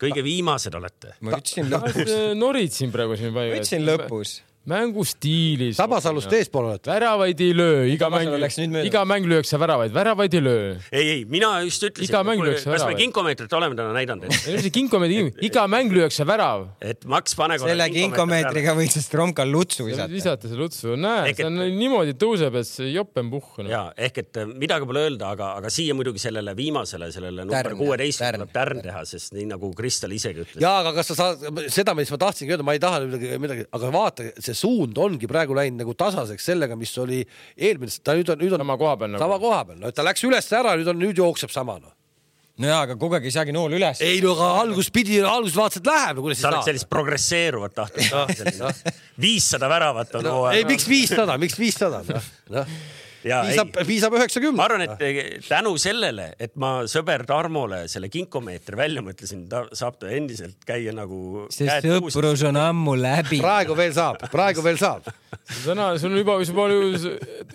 Kõige viimased olete. Ma ütlesin lõpus. Norid siin praegu siin vaja. Ütlesin lõpus. mängustiilis. Tabasalust eespool oled. Väravaid ei löö, iga mäng, iga mäng lüüakse väravaid, väravaid ei löö. Ei, ei, mina just ütlesin, et kas me kinkomeetrit oleme täna näidanud. Et... kinkomeetri, iga mäng lüüakse värav. Et Max pane selle kinkomeetriga võiks Stromkal lutsu visata. Visata see lutsu, näe, see on niimoodi tõuseb, et see joppen puhk. Ja, ehk et midagi pole öelda, aga, aga siia muidugi sellele viimasele, sellele number kuueteist tuleb tärn teha, sest nii nagu Kristel isegi ütles. Ja, aga kas sa saad, seda, mis ma tahtsingi öelda, ma ei taha midagi, midagi, aga vaata, see suund ongi praegu läinud nagu tasaseks sellega, mis oli eelmine, ta nüüd on, nüüd on sama koha peal. Sama nagu. koha peal. No, ta läks üles ära, nüüd, on, nüüd jookseb sama. No, no jaa, aga kogu aeg ei saagi nool üles. Ei, no aga algus pidi, algus vaatasid läheb. No, sa oled sellist progresseeruvat tahtud. viissada väravat on. No, ei, miks viissada? Miks viissada? No, no. Ja, viisab, viisab üheksakümmend. Ma arvan, et tänu sellele, et ma sõber Tarmole selle kinkomeetri välja mõtlesin, ta saab ta endiselt käia nagu... See sõprus on ammu läbi. Praegu veel saab, praegu veel saab. Täna, sul on juba, juba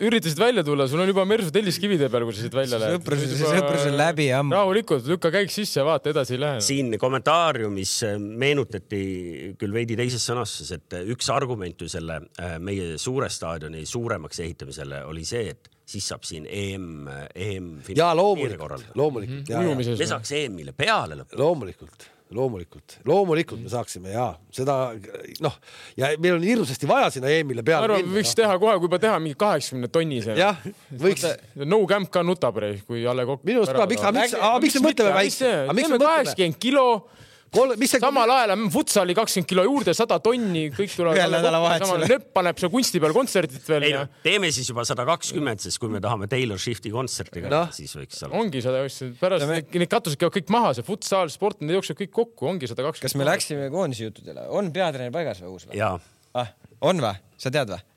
üritasid välja tulla, sul on juba mersu telliskivide peal, kui sa siit välja lähed. Sõprus, sõprus on läbi ammu. Rahulikult, lükka käik sisse ja vaata, edasi ei lähe. Siin kommentaariumis meenutati küll veidi teises sõnastuses, et üks argument ju selle meie suure staadioni suuremaks ehitamisele oli see, et siis saab siin E M, E M ja loomulikult, loomulikult. Mm-hmm. Me saaks E M-ile peale lõpuks. Loomulikult, loomulikult, loomulikult me saaksime ja seda, noh, ja meil on hirmsasti vaja sinna E M-ile peale. Arvan, võiks teha kohe, kui juba teha mingi kaheksakümne tonni see. Jah, võiks. No Camp ka nutab, kui Jalle Kokk. Minu arust ka, miks, aga miks, aga miks me mõtleme väikse? Teeme kaheksakümmend kilo. Kol, mis see samal ajal futsali kakskümmend kilo juurde, sada tonni, kõik tuleb nöpp paneb see kunsti peal kontsertit veel. Ei, ja... Teeme siis juba sada kakskümmend, sest kui me tahame Taylor Swifti kontsertiga, no. Siis võiks olla. Ongi sada kakskümmend, pärast me... need katused käivad kõik maha, see futsal, sport, need jookseb kõik kokku, ongi sada kakskümmend. Kas me läksime koondise juttudele? On peatreener paigas või uus? Või? Jaa. Ah, on või? Sa tead või?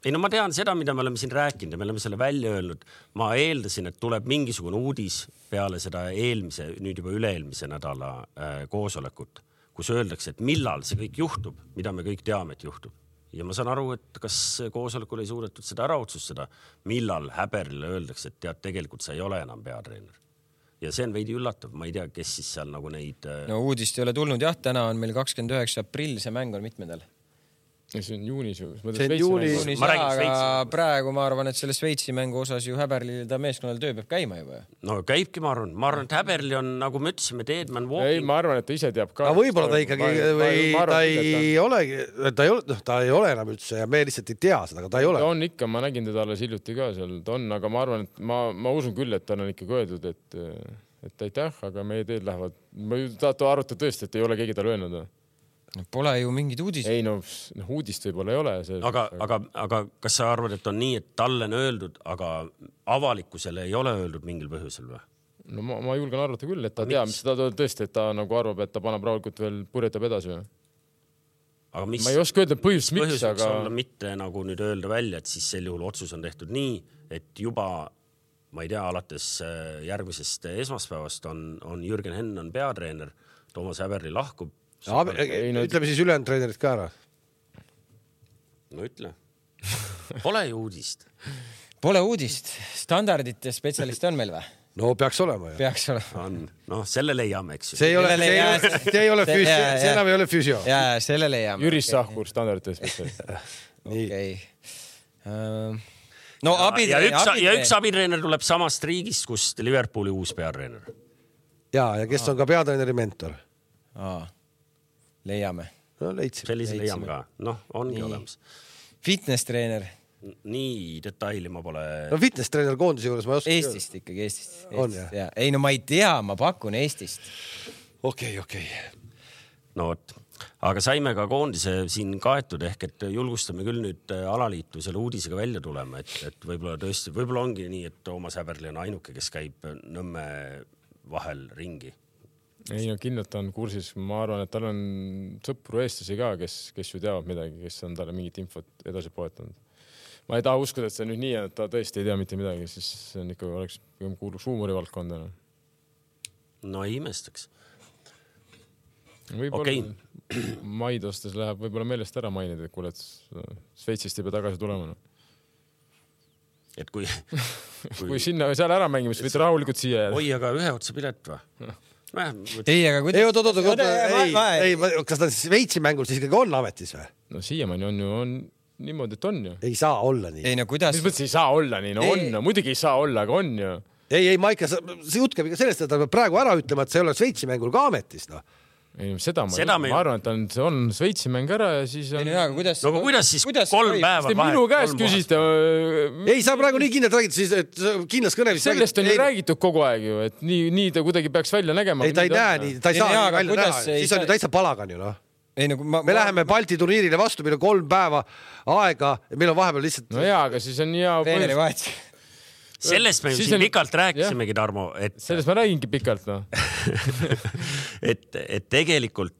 Ei, no ma tean seda, mida me oleme siin rääkinud ja me oleme selle välja öelnud. Ma eeldasin, et tuleb mingisugune uudis peale seda eelmise, nüüd juba üle-eelmise nädala äh, koosolekut, kus öeldakse, et millal see kõik juhtub, mida me kõik teame, et juhtub. Ja ma saan aru, et kas koosolekul ei suudetud seda ära otsustada, millal Häberile öeldakse, et tead, tegelikult sa ei ole enam peatreener. Ja see on veidi üllatav, ma ei tea, kes siis seal nagu neid... Äh... No uudist ei ole tulnud, jah, täna on meil kakskümmend üheksa aprill, see mäng on mitmendal. See on juunis ju. See on juunis. Ma räägin Šveitsi. Praegu ma arvan, et selle Šveitsi mängu osas ju Häberlil ta meeskonnal töö peab käima juba. No käibki, ma arvan. Ma arvan, et Häberli on, nagu me ütlesime, Deadman Walking. Ei, ma arvan, et ta ise teab ka. Aga võib-olla ta ikkagi, või ta ei ole, ta ei ole, ta ei ole enam üldse ja me lihtsalt ei tea seda, aga ta ei ole. Ta on ikka, ma nägin teda alles hiljuti ka seal, ta on, aga ma arvan, et ma, ma usun küll, et ta on ikkagi öeldud, et, et aitäh, aga meie teed lähevad. Ma tahtu arutada tõesti, et ei ole keegi tal öelnud. No, pole ju mingid uudist. Ei, no uudist võib-olla ei ole. See, aga, aga, aga kas sa arvad, et on nii, et talle on öeldud, aga avalikkusele ei ole öeldud mingil põhjusel või? No ma, ma julgen arvata küll, et ta teab, mis ta tõesti, et ta nagu arvab, et ta paneb rahulikult veel purjetab edasi. Aga mis, ma ei oska öelda põhjus, miks, põhjus aga... olla mitte nagu nüüd öelda välja, et siis sel juhul otsus on tehtud nii, et juba, ma ei tea, alates järgmisest esmaspäevast on, on Jürgen Henn on peatreener, Toomas Häberli lahkub. Ja, ei, no, ütleme siis ülejäänud treenerid ka ära. No ütle. Pole ju uudist. Pole uudist. Standardite spetsialiste on meil või? No peaks olema. Ja. Peaks olema. On. No selle leiame, eks ju. See ei ole, see ei ole, see ei ole füsio. See enam ei ole füsio. Jaa, selle leiame. Jüris Sahkur, standardite spetsialist. Okei. No ja, abitreener. Ja üks, ja üks abitreener tuleb samast riigist, kust Liverpooli uus peatreener. Jaa, ja kes on ka peatreeneri mentor. Aa. Leiame. No leitsime. Sellise leiame ka. Noh, ongi nii. Olemas. Fitness treener. Nii detaili ma pole... No fitness treener koondise juures ma ei oska... Eestist ikkagi, Eestist. Eestist. On, jah? Ja. Ei, no ma ei tea, ma pakun Eestist. Okei, okei. No võt. Aga saime ka koondise siin kaetud ehk, et julgustame küll nüüd alaliitu selle uudisega välja tulema, et, et võib-olla tõesti, võib-olla ongi nii, et Toomas Häberli on ainuke, kes käib Nõmme vahel ringi. Ei, no kindlalt on kursis. Ma arvan, et tal on sõpru eestlasi ka, kes, kes ju teavad midagi, kes on talle mingit infot edasi poetanud. Ma ei taha uskuda, et see nüüd nii, et ta tõesti ei tea mitte midagi, siis see on ikka oleks kuuluks huumorivaldkonda. No ei imestaks. Võib-olla okay. Maid ostes läheb võib-olla meelest ära mainida, et kuule, et Sveitsist ei pea tagasi tulema. Et kui, kui... kui sinna või seal ära mängime, siis võite rahulikult siia jääda. Oi, aga ühe otsa pilet või? ei, aga kuidas... ei, oot, oot, oot, ei, ei, kas ta Šveitsi mängul siis ikkagi on ametis või? No siiamaani on ju on niimoodi, et on ju. Ei saa olla nii. Ei, no kuidas... Mis mõttes ei saa olla nii? No ei. On, no muidugi ei saa olla, aga on ju. Ei, ei, Maika, see jutt käib ikka sellest, et ta peab praegu ära ütlema, et see ei ole Šveitsi mängul ka ametis, noh. Ei, seda ma, seda ma, ma arvan, et on, see on Šveitsi mäng ära ja siis on... Ei, no, aga kuidas... No aga kuidas siis kuidas kolm või? päeva vahet? Minu käest küsite... Ei, sa praegu nii kindlalt räägid, siis et kindlas kõnelis... Sellest on ju räägitud kogu aeg ju, et nii, nii ta kuidagi peaks välja nägema. Ei, ta ei näe nii, ta ei saa nii välja näha. Siis on ju täitsa palagan ju, noh. Ei, no, ma, me ma, läheme Balti turniirile vastu, meil on kolm päeva aega ja meil on vahepeal lihtsalt... No jaa, aga siis on hea... Treeneri vahet. Sellest me ju siin on... pikalt rääkisimegi, Tarmo, et... Sellest ma räägingi pikalt, no. et, et tegelikult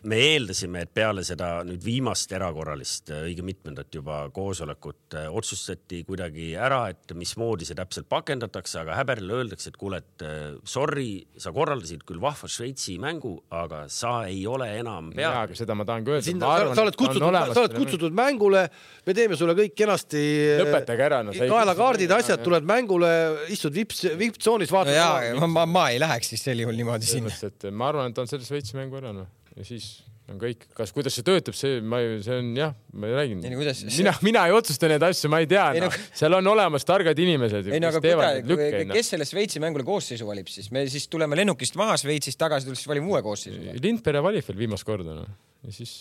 me eeldasime, et peale seda nüüd viimast erakorralist õige mitmendat juba koosolekut otsustati kuidagi ära, et mismoodi see täpselt pakendatakse, aga Häberile öeldakse, et kuule, et sorry, sa korraldasid küll vahva Šveitsi mängu, aga sa ei ole enam peal. Jaa, aga seda ma tahan ka öelda. Sinna, arvan, sa oled kutsutud, sa oled kutsutud mängule, me teeme sulle kõik kenasti lõpetage ära. No, kaelakaardid, asjad, tuled mängule, istud vips, viptsoonis, vaatad. No jaa, ma, ma, ma ei läheks siis sel juhul niimoodi sinna. Ma arvan, et on selle Šveitsi mängu ära, no. Ja siis on kõik, kas kuidas see töötab, see, ma ei, see on jah, ma ei räägin. Ei, no, mina, mina ei otsusta neid asju, ma ei tea. Ei, no, no, seal on olemas targad inimesed, ei, no, kes teevad neid lükkeid. Kes selle Šveitsi mängule koosseisu valib siis? Me siis tuleme lennukist maha Šveitsist tagasi, tulles valime uue koosseisu. Lindpere valib veel viimast korda. No. Ja siis,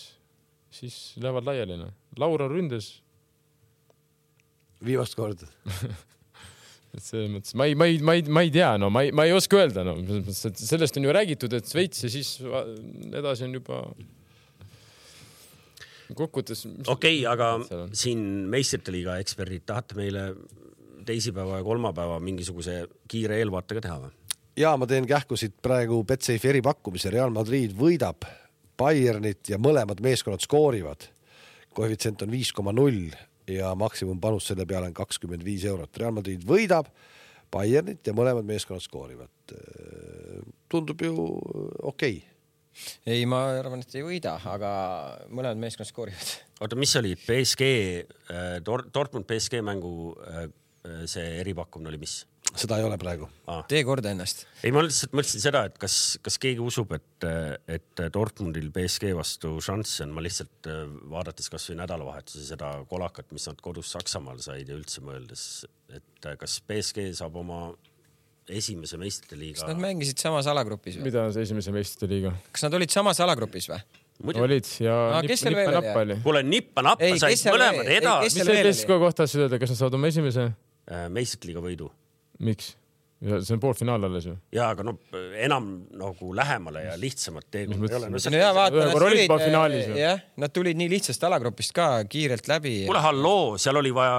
siis lähevad laiali. No. Laura ründes. Viimast korda. See mõttes, ma ei, ma ei, ma ei, ma ei tea, no ma ei, ma ei oska öelda, no sellest on ju räägitud, et Šveits ja siis edasi on juba kokkuvõttes. Okei, okay, aga siin meistrite liiga eksperdid tahate meile teisipäeva ja kolmapäeva mingisuguse kiire eelvaatega teha või? Ja ma teen kähkusid praegu Betsafe eripakkumise. Real Madrid võidab Bayernit ja mõlemad meeskonnad skoorivad. Koefitsient on viis koma null ja maksimumpanus selle peale on kakskümmend viis eurot. Real Madrid võidab Bayernit ja mõlemad meeskonnad skoorivad. Tundub ju okei. Okay. Ei, ma arvan, et ei võida, aga mõlemad meeskonnad skoorivad. Oota, mis oli P S G, Dortmund P S G mängu see eripakkumine oli mis? Seda ei ole praegu. Ah. Tee korda ennast. Ei, ma lihtsalt mõtlesin seda, et kas, kas keegi usub, et, et Dortmundil P S G vastu šanss on. Ma lihtsalt vaadates kas või nädalavahetuse seda kolakat, mis nad kodus Saksamaal said ja üldse mõeldes, et kas P S G saab oma esimese meistrite liiga... Kas nad mängisid samas alagrupis või? Mida on see esimese meistrite liiga? Kas nad olid samas alagrupis või? Muidu. Olid ja ah, nipp, nippa-nappa oli. Kuule, nippa-nappa said mõlemad edasi. Mis see P S G kohta asja öelda, kas nad saavad oma esimese? Meistrite liiga võidu. Miks? See on poolfinaal alles ju. Jaa, aga no enam nagu lähemale ja lihtsamad teekond ei ole. No, no, vaata, nad, tulid, jah, nad tulid nii lihtsast alagrupist ka kiirelt läbi. Kuule, halloo, seal oli vaja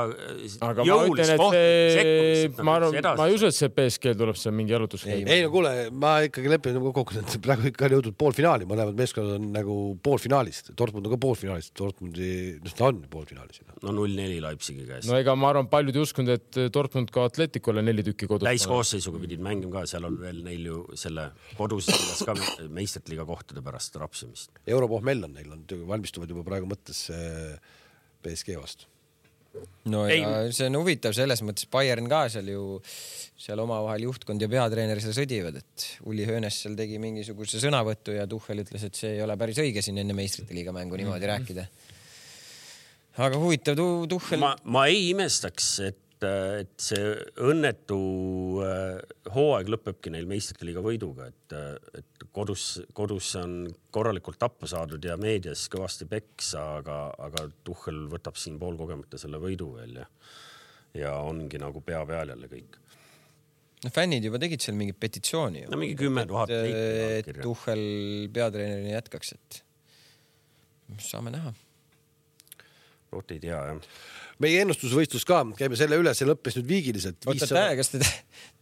aga jõulist kohtumist. Ma, ma ei usu, et see P S G tuleb seal mingi jalutus. Ei, ei no kuule, ma ikkagi lepin kokku, et praegu ikka on jõudnud poolfinaali. Mõlemad meeskonnad on nagu poolfinaalist. Dortmund on ka poolfinaalist. Dortmundi, ta on poolfinaalis. No null neli Leipzigi käes. No ega ma arvan, paljud ei uskunud, et Dortmund ka Atleticule neli tükki kodus. Täiskoosseisuga pidid mängima ka, seal on veel neil ju selle kodus ka meistrite liiga kohtade pärast rapsimist. Europohmell on neil, on valmistuvad juba praegu mõttes P S G vastu. No ja ei. See on huvitav selles mõttes, Bayern ka seal ju seal omavahel juhtkond ja peatreener seal sõdivad, et Uli Hönes seal tegi mingisuguse sõnavõttu ja Tuchel ütles, et see ei ole päris õige siin enne meistrite liiga mängu niimoodi rääkida. Aga huvitav Tuchel... Ma, ma ei imestaks, et, et see õnnetu hooaeg lõpebki neil meistrite liiga võiduga, et, et kodus, kodus on korralikult tappa saadud ja meedias kõvasti peksa, aga, aga Tuchel võtab siin pool kogemata selle võidu veel ja, ja ongi nagu pea peal jälle kõik. No fännid juba tegid seal mingi petitsiooni. No mingi kümme tuhat. Et, et Tuchel peatreenerina jätkaks, et saame näha. Oot ei tea, jah. Meie ennustusvõistlus ka, käime selle üle, see lõppes nüüd viigiliselt. Oota, täna, kas te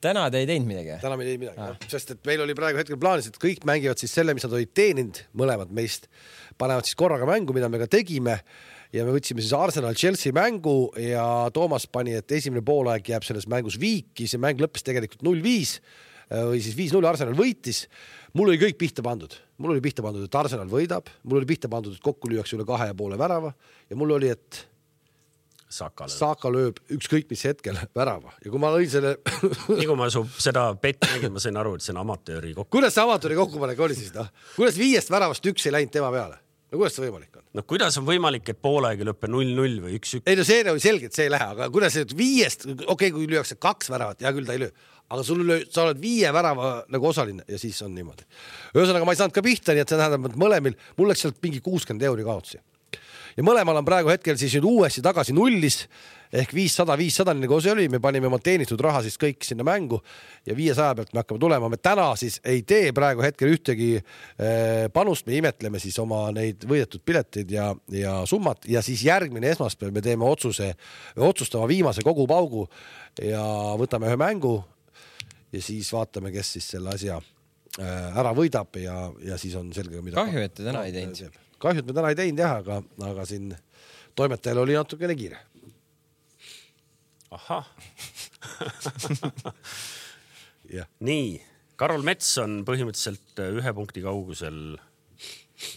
täna te ei teinud midagi? Täna me ei teinud midagi, ah. Sest et meil oli praegu hetkel plaanis, et kõik mängivad siis selle, mis nad olid teeninud, mõlemad meist, panevad siis korraga mängu, mida me ka tegime ja me võtsime siis Arsenal-Chelsea mängu ja Toomas pani, et esimene poolaeg jääb selles mängus viiki, see mäng lõppes tegelikult null viis või siis viis null Arsenal võitis. Mul oli kõik pihta pandud. Mul oli pihta pandud, et Arsenal võidab. Mul oli pihta pandud, et kokku lüüakse üle kahe ja poole värava. Ja mul oli, et... Saka lööb. Saka lööb ükskõik mis hetkel värava ja kui ma lõin selle nii kui ma su seda pett nägin, ma sain aru, et see on amatööri kokku. Kuidas see amatööri kokkupanek oli siis? No? Kuidas viiest väravast üks ei läinud tema peale? No kuidas see võimalik on? No kuidas on võimalik, et poolaegi lõppe null null või üks üks? Ei no see oli selge, et see ei lähe, aga kuidas see viiest, okei okay,, kui lüüakse kaks väravat, ja küll ta ei löö, aga sul löö, sa oled viie värava nagu osaline ja siis on niimoodi. Ühesõnaga ma ei saanud ka pihta, nii et see tähendab, et mõlemil, mul läks sealt mingi kuuskümmend euri kaotsi. Ja mõlemal on praegu hetkel siis nüüd uuesti tagasi nullis ehk viissada viissada, nagu see oli, me panime oma teenitud raha siis kõik sinna mängu ja viiesaja pealt me hakkame tulema. Me täna siis ei tee praegu hetkel ühtegi panust, me imetleme siis oma neid võidetud pileteid ja, ja summat ja siis järgmine esmaspäev me teeme otsuse, otsustama viimase kogu paugu ja võtame ühe mängu ja siis vaatame, kes siis selle asja ära võidab ja, ja siis on selge, mida kahju, et te täna ei teinud. Kahju, et me täna ei teinud jah, aga, aga siin toimetajal oli natukene kiire. Ahah. yeah. Nii, Karol Mets on põhimõtteliselt ühe punkti kaugusel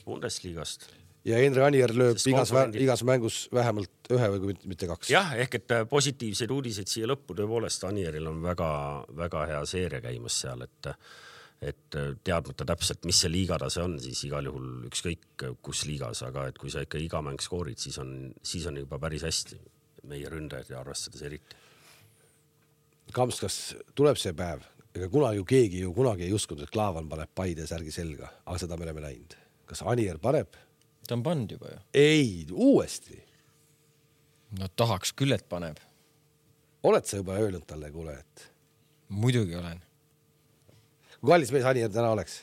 Bundesliigast. Ja Endre Anier lööb igas, igas mängus vähemalt ühe või mitte kaks. Jah, ehk et positiivseid uudiseid siia lõppu tõepoolest Anieril on väga, väga hea seeria käimas seal, et et teadmata täpselt, mis see liigatase on, siis igal juhul ükskõik kus liigas, aga et kui sa ikka iga mäng skoorid, siis on, siis on juba päris hästi meie ründajad ja arvestades eriti. Kamps, kas tuleb see päev? Ega kunagi ju keegi ju kunagi ei uskunud, et Klaavan paneb Paide särgi selga, aga seda me oleme näinud. Kas Anier paneb? Ta on pannud juba ju. Ei, uuesti. No tahaks küll, et paneb. Oled sa juba öelnud talle, kuule, et? Muidugi olen. Kui kallis mees Anier täna oleks?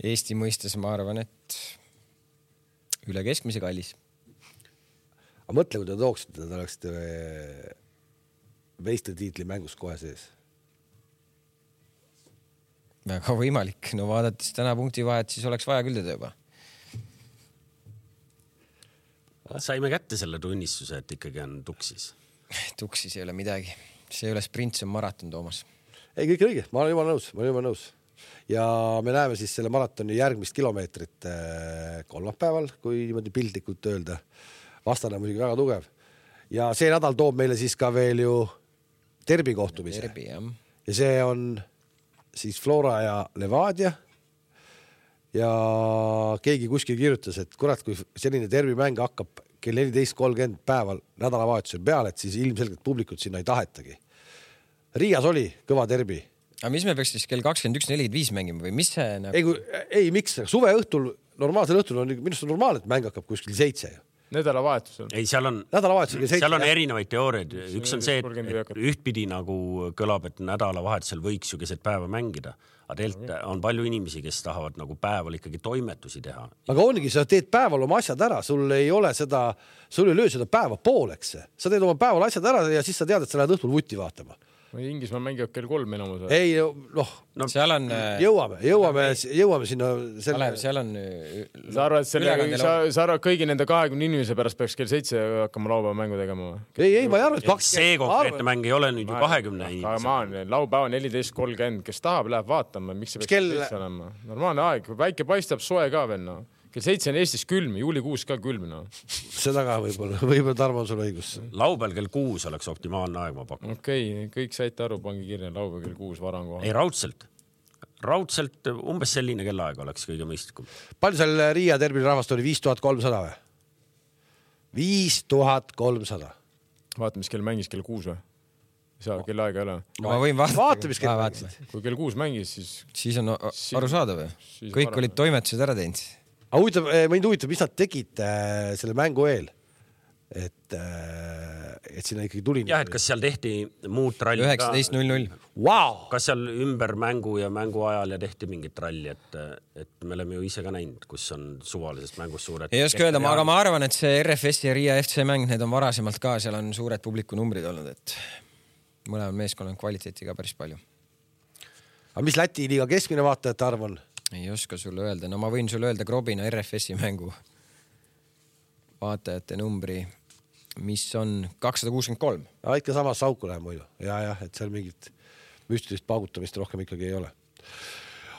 Eesti mõistes ma arvan, et üle keskmise kallis. Aga mõtle, kui te tooksite, ta oleksite meistritiitli mängus kohe sees. Väga võimalik. No vaadates täna punkti vahet, siis oleks vaja küll teda juba. Saime kätte selle tunnistuse, et ikkagi on tuksis. Tuksis ei ole midagi. See ei ole sprint, see on maraton, Toomas. Ei, kõik õige, ma olen juba nõus, ma olen juba nõus. Ja me näeme siis selle maratoni järgmist kilomeetrit kolmapäeval, kui niimoodi piltlikult öelda. Vastane on muidugi väga tugev. Ja see nädal toob meile siis ka veel ju derbi kohtumise. Derbi, jah. Ja see on siis Flora ja Levadia. Ja keegi kuskil kirjutas, et kurat, kui selline derbi mäng hakkab kell neliteist kolmkümmend päeval nädalavahetusel peale, et siis ilmselgelt publikut sinna ei tahetagi. Riias oli kõva derbi. Aga mis me peaks siis kell kakskümmend üks nelikümmend viis mängima või mis see nagu... Ei, kui, ei miks? Suve õhtul, normaalsel õhtul on minust on normaalne, et mäng hakkab kuskil seitse. Nädalavahetusel. Ei, seal on, seal on erinevaid teooriaid. Üks on see, et ühtpidi nagu kõlab, et nädalavahetusel võiks ju keset päeva mängida. Aga teilt on palju inimesi, kes tahavad nagu päeval ikkagi toimetusi teha. Aga ongi, sa teed päeval oma asjad ära, sul ei ole seda, sul ei löö seda päeva pooleks. Sa teed oma päeval asjad ära ja siis sa tead, et sa lähed õhtul vutti vaatama. Inglismaa mängivad kell kolm enamus. Ei, noh, no, seal on jõuame, jõuame, jõuame sinna selle... Kalev, seal on sa arvad, selle, sa, sa arvad kõigi nende kahekümne inimese pärast peaks kell seitse hakkama laupäeva mängu tegema. Ei, ei, ma ei arva, et kaks... see konkreetne mäng ei ole nüüd ju kahekümne inimese. Aga ma olen laupäeva neliteist kolmkümmend, kes tahab, läheb vaatama, miks see peaks kell... olema. Normaalne aeg, väike paistab, soe ka veel, no. Kell seitse on Eestis külm, juulikuus ka külm, no. Seda ka võib-olla, võib-olla Tarmo on sul õigus. Laupäeval kell kuus oleks optimaalne aeg, ma pakun. Okei, okay, kõik saite aru, pangi kirja, laupäeval kell kuus varan koha. Ei, raudselt. Raudselt umbes selline kellaaeg oleks kõige mõistlikum. Palju seal Riia derbil rahvast oli? viis tuhat kolmsada või? viis tuhat kolmsada. Vaata, mis kell mängis kell kuus või? Saa, kell aega ei ole. Ma võin vaadata. Vaata, mis kell mängis. Kui kell kuus mängis, siis... Siis on aru saada või? Kõik olid toimetused ära teinud. Aga huvitav, mind huvitab, mis nad tegid äh, selle mängu eel, et, äh, et sinna ikkagi tuli. Jah, et kas seal tehti muud tralli üheksateist null null. Wow! Kas seal ümber mängu ja mängu ajal ja tehti mingit tralli, et, et me oleme ju ise ka näinud, kus on suvalisest mängust suured... Ei oska öelda, aga ma arvan, et see R F S ja Riia F C mäng, need on varasemalt ka, seal on suured publikunumbrid olnud, et mõlemal meeskonnal on kvaliteeti ka päris palju. Aga mis Läti liiga keskmine vaatajate arv on? Ei oska sulle öelda. No ma võin sulle öelda Grobina R F S-i mängu vaatajate numbri, mis on kakssada kuuskümmend kolm. Ja, ikka sama sauku läheb muidu. Ja, jah, et seal mingit müstilist paugutamist rohkem ikkagi ei ole.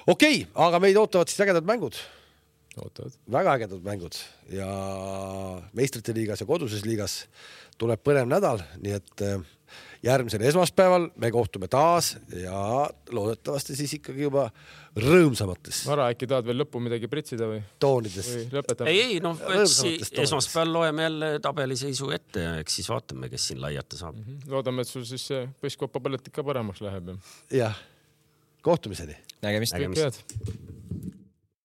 Okei, aga meid ootavad siis ägedad mängud. Ootavad. väga ägedad mängud ja meistrite liigas ja koduses liigas tuleb põnev nädal, nii et järgmisel esmaspäeval me kohtume taas ja loodetavasti siis ikkagi juba rõõmsamates. Vara, äkki tahad veel lõppu midagi pritsida või? Toonides. Või lõpetame? Ei, ei, no esmaspäeval loeme jälle tabeliseisu ette ja eks siis vaatame, kes siin laiata saab. Mm-hmm. Loodame, et sul siis põsskoppa pallet ikka paremaks läheb. Jah, kohtumiseni. Nägemist. Nägemist.